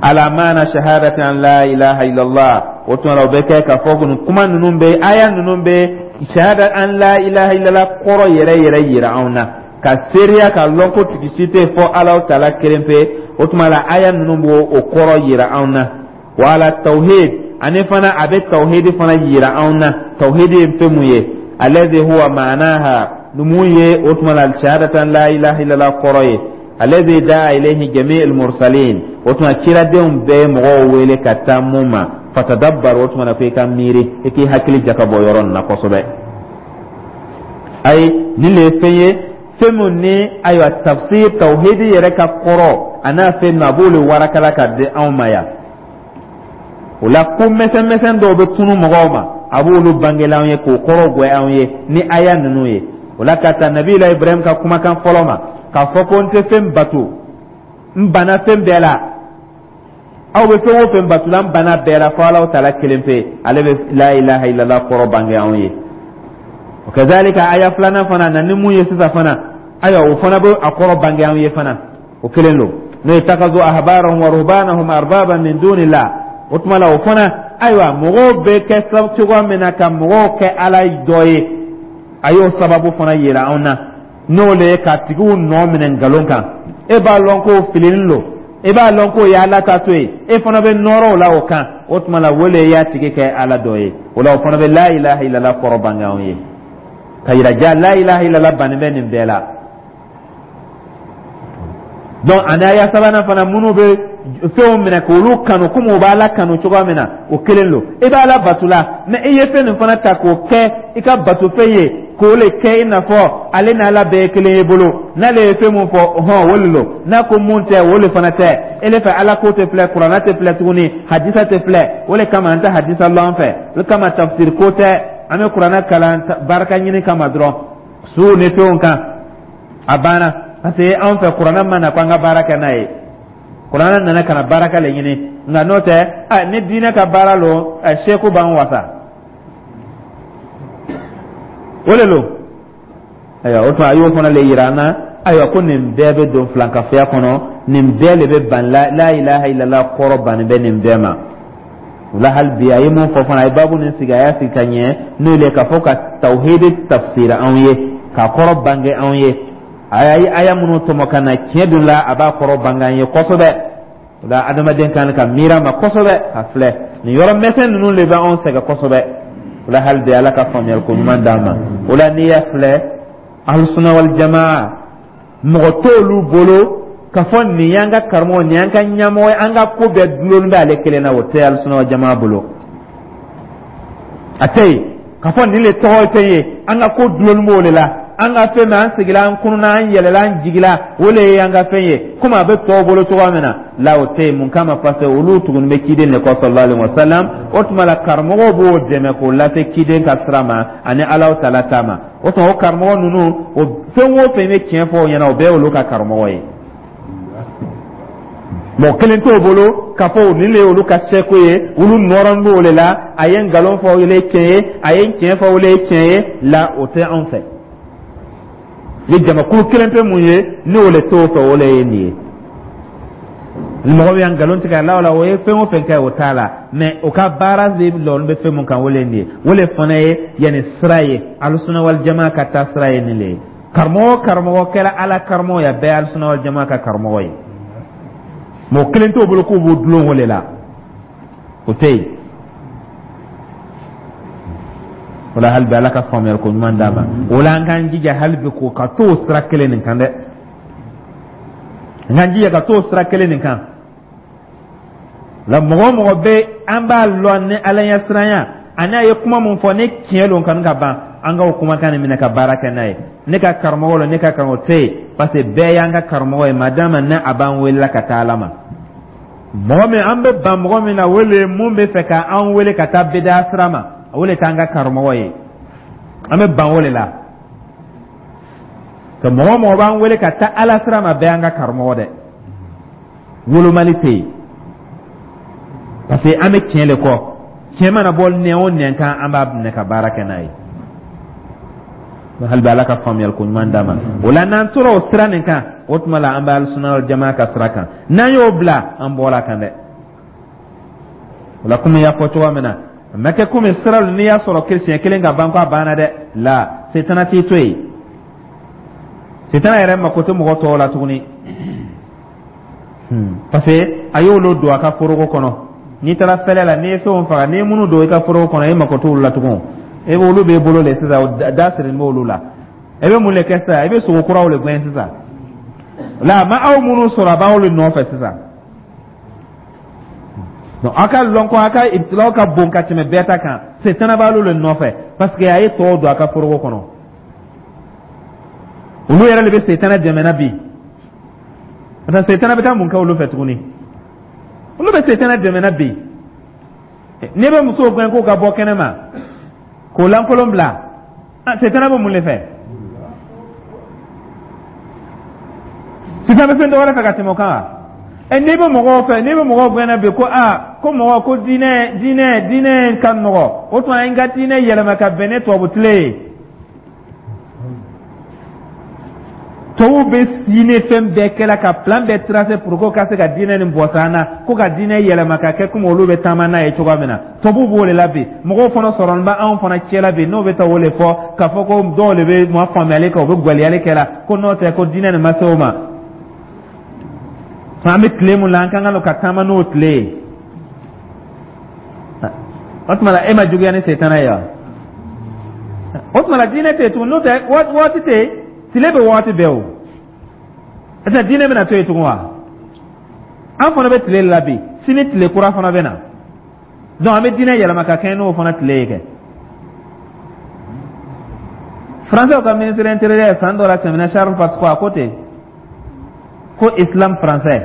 Ala maana shahadati an la ilaha illallah, o tuma la, o bɛ kɛ k'a fɔ ko nin kuma ninnu bɛ, aya ninnu bɛ shahada an la ilaha illallah kɔrɔ yɛrɛ yɛrɛ yira anw na, ka seereya ka lɔn ko tigi si tɛ fɔ Ala Taala kelen pe. O tuma la, aya ninnu b'o o kɔrɔ yira anw na. Wa ala tawhid, ani fana a bɛ tawhidi fana yira anw na. Tawhidi ye fɛn mun ye? Alladhi huwa ma'naha, mun ye o tuma la shahadatan la ilaha illallah kɔrɔ ye? Alladhi da'a ilayhi jami'ul mursalin, o tuma ciradenw bɛɛ mɔgɔw wele ka taa mun ma. Fatadabbar, o tuma na ko i ka miiri, i k'i hakili jakabɔ yɔrɔ nin na kosɛbɛ. Ayi, nin le ye fɛn ye, fɛn min ni ayiwa tafsir tawhidi yɛrɛ ka kɔrɔ a n'a fɛn min, a b'o le warakala ka di anw ma yan. O la, ko mɛsɛn mɛsɛn dɔw bɛ tunu mɔgɔw ma, a b'olu bangela anw ye k'o kɔrɔ gwɛ anw ye ni aya ninnu ye. O la, ka taa Nabila Ibrahim ka kumakan fɔlɔ ma, k'a fɔ ko n tɛ fɛn bato, n banna fɛn bɛɛ la. Aw bɛ fɛn o fɛn bato la, n banna bɛɛ la fo Alahu Taala kelen pe. Ale bɛ la ilaha illallah kɔrɔ bange anw ye. O kazalika, aya filanan fana na ni mun ye sisan fana, ayiwa, o fana bɛ a kɔrɔ bange anw ye fana, o kelen don, n'o ye takazu ahbarahum wa ruhbanahum arbaban min dunillah. O tuma la, o fana, ayiwa, mɔgɔw bɛ kɛ cogoya min na ka mɔgɔw kɛ Ala dɔ ye, a y'o sababu fana yira anw na, n'o le ye ka tigiw nɔ minɛ nkalon kan. E b'a lɔn k'o filinin don, e b'a lɔn k'o ye Ala ta to ye, e fana bɛ nɔrɔ o la o kan. O tuma la, o le y'a tigi kɛ Ala dɔ ye. O la, o fana bɛ la ilaha illallah kɔrɔ bange anw ye, ka yira ja la ilaha illallah bannen bɛ nin bɛɛ la. Donc ani aya sabanan fana, minnu bɛ fɛnw minɛ k'olu kanu komi u b'Ala kanu cogoya min na, o kelen don. I b'Ala bato la, mɛ i ye fɛn nin fana ta k'o kɛ i ka batofɛn ye, k'o le kɛ i n'a fɔ ale n'Ala bɛɛ ye kelen ye bolo. N'ale ye fɛn mun fɔ, hɔn, o le don. N'a ko mun tɛ, o le fana tɛ. E le fɛ, Ala ko tɛ filɛ, Kuranɛ tɛ filɛ tuguni, hadisa tɛ filɛ. O le kama an tɛ hadisa lɔn an fɛ, o le kama tafsir ko tɛ. An bɛ Kuranɛ kalan barika ɲini kama dɔrɔn, suw ni fɛnw kan, a banna. Parce que anw fɛ, Kuranɛ ma na ko an ka baara kɛ n'a ye. Kuranɛ nana ka na baraka le ɲini, nka n'o tɛ, ni diinɛ ka baara lo, seku b'an wasa, o le lo. Ayiwa, o tuma a y'o fana le yira an na. Ayiwa, ko nin bɛɛ bɛ don filankafoya kɔnɔ, nin bɛɛ le bɛ ban la ilaha illallah kɔrɔ bannen bɛ nin bɛɛ ma. O la, hali bi a ye mun fɔ fana, a ye baabu nin sigi, a y'a sigi ka ɲɛ, n'o le k'a fɔ ka tawhidi tafsir anw ye, k'a kɔrɔ bange anw ye. A ye aya minnu tɔmɔ ka na tiɲɛ dun la, a b'a kɔrɔ bange an ye kosɛbɛ. O la, adamaden kan ka miiri a ma kosɛbɛ ka filɛ nin yɔrɔ mɛsɛn ninnu de bɛ anw sɛgɛn kosɛbɛ. O la, hali bi Ala ka faamuyali ko ɲuman d'an ma. O la, n'i y'a filɛ, ahlusuna wal jamaa, mɔgɔ t'olu bolo k'a fɔ nin y'an ka karamɔgɔ, nin y'an ka ɲɛmɔgɔ ye, an ka ko bɛɛ dulonni bɛ ale kelen na. O tɛ ahlusuna wal jamaa bolo, a tɛ yen k'a fɔ nin le tɔgɔ ye fɛn ye, an ka ko dulonni b'o de la, an ka fɛn min, an sigila, an kununa, an yɛlɛla, an jigila, o le ye an ka fɛn ye, komi a bɛ tɔw bolo cogoya min na la, o tɛ yen. Mun kama? Parce que olu tuguni bɛ ciden de kɔ, sallallahu alaihi wa sallam. O tuma la, karamɔgɔw b'o dɛmɛ k'o lase ciden ka sira ma ani Alahu Taala ta ma. O tuma, o karamɔgɔ ninnu, o fɛn o fɛn bɛ tiɲɛ fɔ o ɲɛna, o bɛɛ y'olu ka karamɔgɔ ye. Mɔgɔ kelen t'o bolo k'a fɔ nin le ye olu ka seko ye, olu nɔrɔn b'o le la. A ye nkalon fɔ, o le ye tiɲɛ ye. A ye tiɲɛ fɔ, o le ye tiɲɛ ye. La, o tɛ anw fɛ. Ni jamakulu kelen pe mun ye, ni o le t'o fɛ, o le ye nin ye. Ni mɔgɔ min y'a nkalon tigɛ a la, o la, o ye fɛn o fɛn kɛ, o t'a la. Mɛ o ka baara de lɔn bɛ fɛn mun kan, o le ye nin ye. O le fana ye yanni sira ye, Alusuna wal jama ka taa sira ye nin le ye. Karamɔgɔ karamɔgɔ kɛra Ala karamɔgɔ ye, a bɛɛ ye Alusuna wal jama ka karamɔgɔ ye. Mɔgɔ kelen t'o bolo k'u b'o dulon o le la, o tɛ yen. O la, hali bi, Ala ka faamuyali ko ɲuman d'a ma. O la, an k'an jija hali bi k'o ka t'o sira kelen nin kan dɛ. An k'an jija ka t'o sira kelen nin kan la. Mɔgɔ o mɔgɔ bɛ an b'a lɔn ni Ala ɲɛ siranya ani a ye kuma mun fɔ ni tiɲɛ don kanu ka ban, an k'o kumakan nin minɛ ka baara kɛ n'a ye. Ne ka karamɔgɔ la, ne ka karamɔgɔ tɛ yen, parce que bɛɛ y'an ka karamɔgɔ ye, madama ne a b'an welela ka taa Ala ma. Mɔgɔ min an bɛ ban mɔgɔ min na, o le mun bɛ fɛ ka an wele ka taa beda sira ma, o le t'an ka karamɔgɔ ye. An bɛ ban o de la. Ka mɔgɔ mɔgɔ b'an wele ka taa Ala sira ma, bɛɛ y'an ka karamɔgɔ dɛ. Wolomali tɛ yen, parce que an bɛ tiɲɛ de kɔ. Tiɲɛ mana bɔ nɛn o nɛn kan, an b'a minɛ ka baara kɛ n'a ye. Hali bi, Ala ka faamuyali ko ɲuman d'a ma. O la, n'an tora o sira nin kan, o tuma la, an bɛ Alisuna jama ka sira kan. N'an y'o bila, an bɔra kan dɛ. O la, komi n y'a fɔ cogoya min na, a ma kɛ komi sira n'i y'a sɔrɔ siɲɛ kelen ka ban ko a banna dɛ. La, setana t'i to yen. Setana yɛrɛ mako tɛ mɔgɔ tɔw la tuguni, parce que a y'olu don a ka foroko kɔnɔ. N'i taara fɛlɛ la, n'i ye fɛnw faga, n'i ye minnu don i ka foroko kɔnɔ, e mako t'olu la tugun. E olu b'e bolo de sisan, da sirilen b'olu la. E bɛ mun de kɛ sisan? E bɛ sogo kuraw de gɛn sisan. La, a ma aw minnu sɔrɔ, a b'aw de nɔfɛ sisan. Donc aw ka lɔn ko aw ka ibtilaw ka bon ka tɛmɛ bɛɛ ta kan. Setana b'alu de nɔfɛ, parce que a ye tɔw don a ka foroko kɔnɔ. Olu yɛrɛ de bɛ setana dɛmɛ bi. Parce que setana bɛ taa mun kɛ olu fɛ tuguni? Olu bɛ setana dɛmɛ bi. N'i bɛ musow gɛn k'o ka bɔ kɛnɛ ma k'o lankolon bila, setana bɛ mun de fɛ? Sisan bɛ fɛn dɔ wɛrɛ fɛ ka tɛmɛ o kan wa? Ɛ, n'i bɛ mɔgɔw fɛ, n'i bɛ mɔgɔw gɛnna bi ko aa, ko mɔgɔ ko diinɛ diinɛ diinɛ ka nɔgɔ, o tuma n ka diinɛ yɛlɛma ka bɛn ni tubabu tile ye. Tubabuw bɛ diinɛ fɛn bɛɛ kɛla ka plan bɛɛ tracer pour que ka se ka diinɛ nin bɔsɔ an na, ko ka diinɛ yɛlɛma ka kɛ komi olu bɛ taama n'a ye cogoya min na. Tubabuw b'o de la bi. Mɔgɔw fana sɔrɔ bɛ anw fana cɛ la bi, n'o bɛ taa o de fɔ k'a fɔ ko dɔw de bɛ ma faamuyali kɛ, u bɛ gwaliyali kɛ la ko n'o tɛ ko diinɛ nin ma se o ma. An bɛ tile mun la, an ka kan ka taama n'o tile ye. O tuma la, e ma juguya ni setana ye wa? O tuma la, diinɛ tɛ yen tugun. N'o tɛ, waati tɛ yen, tile bɛ waati bɛɛ. O ɛsɛ diinɛ bɛna to yen tugun wa? An fana bɛ tile la bi, sini tile kura fana bɛ na. Donc an bɛ diinɛ yɛlɛma ka kɛɲɛ n'o fana tile ye kɛ. Français ka ministre intérieur san dɔ la tɛmɛna, Charles Pasqua, a ko ten ko islam français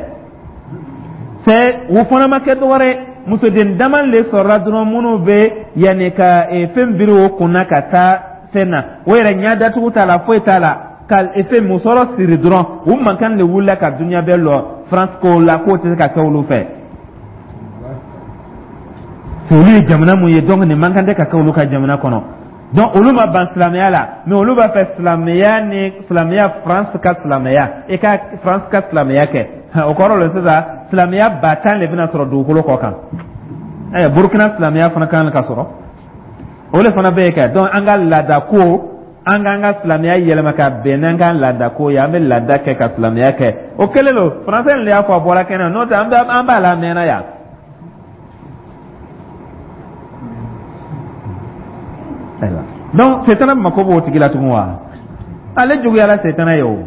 c'est o fana ma kɛ dɔwɛrɛ ye, musoden dama de sɔrɔla dɔrɔn minnu bɛ yanni ka fɛn biri o kunna ka taa fɛn na, o yɛrɛ ɲɛ datugu t'a la, foyi t'a la, ka fɛn musɔrɔ siri dɔrɔn. U mankan de wulila ka dunuya bɛɛ lɔ France ko la k'o tɛ se ka kɛ olu fɛ. Olu ye jamana mun ye? Donc nin man kan tɛ ka kɛ olu ka jamana kɔnɔ. Donc olu ma ban silamɛya la, mais olu b'a fɛ silamɛya ni silamɛya, France ka silamɛya, i ka France ka silamɛya kɛ. O kɔrɔ le sisan, silamɛya ba tan de bɛna sɔrɔ dugukolo kɔ kan. Ayiwa, Burukina silamɛya fana kan ka sɔrɔ, o de fana bɛ yen kɛ. Donc an ka laada ko, an k'an ka silamɛya yɛlɛma ka bɛn n'an ka laada ko ye. An bɛ laada kɛ ka silamɛya kɛ. O kɛlen don, français de y'a fɔ, a bɔra kɛnɛ, n'o tɛ an b'a la a mɛnna yan. Ayiwa, donc setana mako b'o tigi la tugun wa? Ale juguyara setana ye. O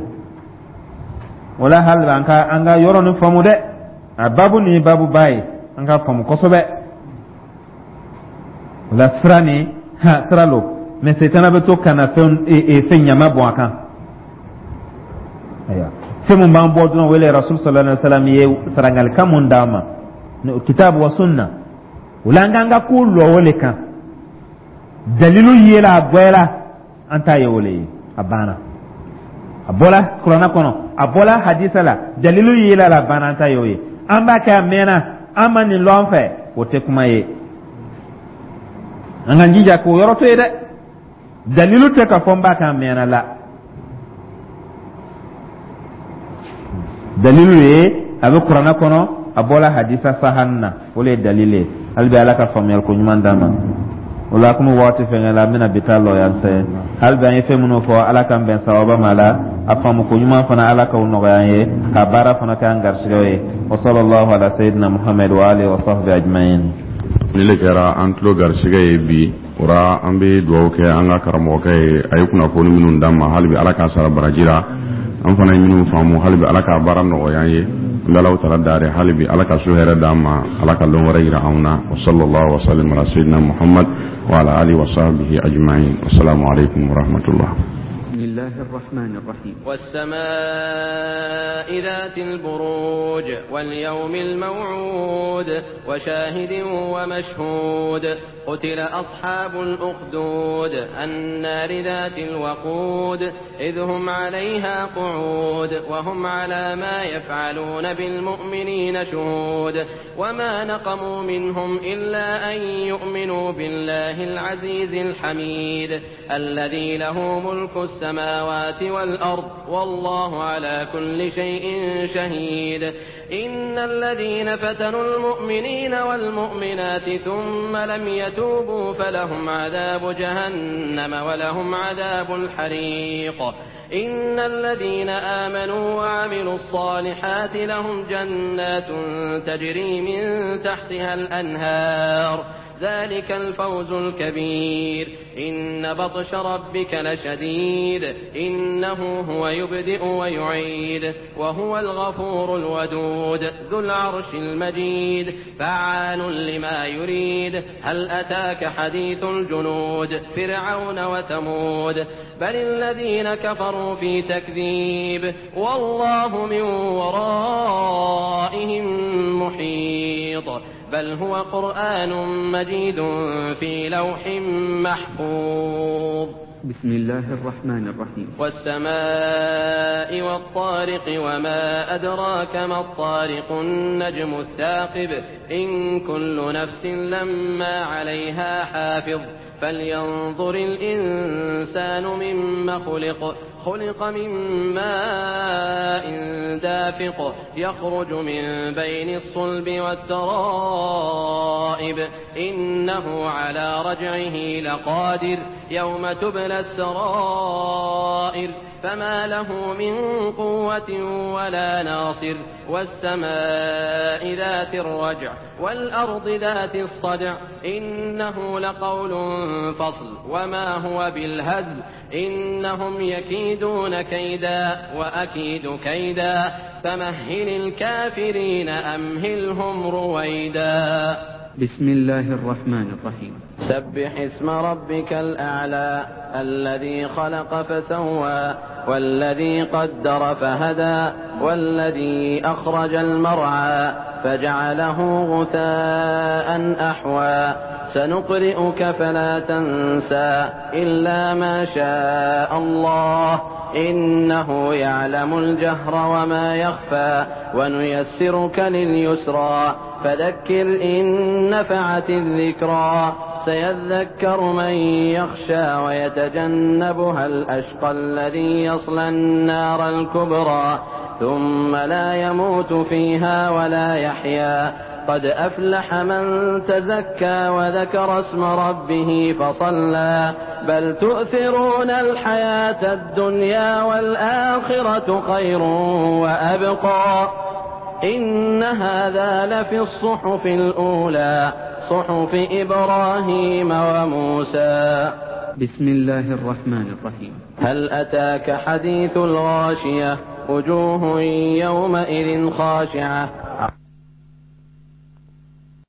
o la, hali an ka an ka yɔrɔ nin faamu dɛ. A babu nin ye babu ba ye, an ka faamu kosɛbɛ. O la, sira nin ha sira lo, mɛ setana bɛ to ka na fɛn fɛn ɲama bɔn a kan. Ayiwa, fɛn mun b'an bɔ dɔrɔn, wele Rasul sallallahu alaihi wa sallam ye sarangalikan mun d'an ma, kitabu wa sunna. O la, an k'an ka ko lɔ o le kan. Dalilu yela, a gbɛla, an t'a ye o le ye, a banna. A bɔla kuranna kɔnɔ, a bɔla hadisa la, dalilu yela la, a banna, an t'a ye o ye. An b'a kɛ a mɛnna, an ma nin lɔn an fɛ, o tɛ kuma ye. An k'an jija k'o yɔrɔ to yen dɛ. Dalilu tɛ k'a fɔ n b'a kɛ a mɛnna la. Dalilu ye a bɛ kuranɛ kɔnɔ, a bɔla hadisa sahan na, o le ye dalilu ye. Hali bi Ala ka faamuyali ko ɲuman d'an ma. O la komi waati fɛngɛ la, an bɛna bi ta lɔ yan fɛ. Hali bi an ye fɛn minnu fɔ, Ala k'an bɛn sawaba ma la. A faamu ko ɲuman fana, Ala k'o nɔgɔya an ye, ka baara fana kɛ an garisigɛw ye. Wa sallallahu ala sayyidina Muhammad wa alihi wa sahbihi ajma'in. Ni le kɛra an tulo garisigɛ ye bi o ra, an bɛ dugawu kɛ an ka karamɔgɔkɛ ye. A ye kunnafoni minnu d'an ma, hali bi Ala k'a sara baraji la. An fana ye minnu faamu, hali bi Ala k'a baara nɔgɔya an ye. An bɛ Alahu taala dari, hali bi Ala ka so hɛrɛ d'an ma, Ala ka lon wɛrɛ yira anw na. Wa sallallahu wa sallam ala sayyidina Muhammad wa ala alihi wa sahbihi ajma'in. Wassalamu alaikum wa rahmatullah. بسم الله الرحمن الرحيم. والسماء ذات البروج واليوم الموعود وشاهد ومشهود. قتل أصحاب الأخدود النار ذات الوقود إذ هم عليها قعود وهم على ما يفعلون بالمؤمنين شهود. وما نقموا منهم إلا أن يؤمنوا بالله العزيز الحميد الذي له ملك السماوات والأرض والله على كل شيء شهيد. إن الذين فتنوا المؤمنين والمؤمنات ثم لم يتوبوا فلهم عذاب جهنم ولهم عذاب الحريق. إن الذين آمنوا وعملوا الصالحات لهم جنات تجري من تحتها الأنهار ذلك الفوز الكبير. إن بطش ربك لشديد إنه هو يبدئ ويعيد وهو الغفور الودود ذو العرش المجيد فعال لما يريد. هل أتاك حديث الجنود فرعون وثمود بل الذين كفروا في تكذيب والله من ورائهم محيط. بل هو قرآن مجيد في لوح محفوظ. بسم الله الرحمن الرحيم. والسماء والطارق وما أدراك ما الطارق النجم الثاقب إن كل نفس لما عليها حافظ. فلينظر الإنسان مما خلق خلق من ماء دافق يخرج من بين الصلب والترائب إنه على رجعه لقادر يوم تبلى السرائر فما له من قوة ولا ناصر. والسماء ذات الرجع والأرض ذات الصدع إنه لقول فصل وما هو بالهزل إنهم يكيدون كيدا وأكيد كيدا فمهل الكافرين أمهلهم رويدا. بسم الله الرحمن الرحيم. سبح اسم ربك الأعلى الذي خلق فسوى والذي قدر فهدى والذي أخرج المرعى فجعله غثاء أحوى. سنقرئك فلا تنسى إلا ما شاء الله إنه يعلم الجهر وما يخفى ونيسرك لليسرى فذكر إن نفعت الذكرى. سيذكر من يخشى ويتجنبها الأشقى الذي يصلى النار الكبرى ثم لا يموت فيها ولا يحيا. قد أفلح من تزكى وذكر اسم ربه فصلى. بل تؤثرون الحياة الدنيا والآخرة خير وأبقى. إن هذا لفي الصحف الأولى صحف إبراهيم وموسى. بسم الله الرحمن الرحيم. هل أتاك حديث الغاشية وجوه يومئذ خاشعة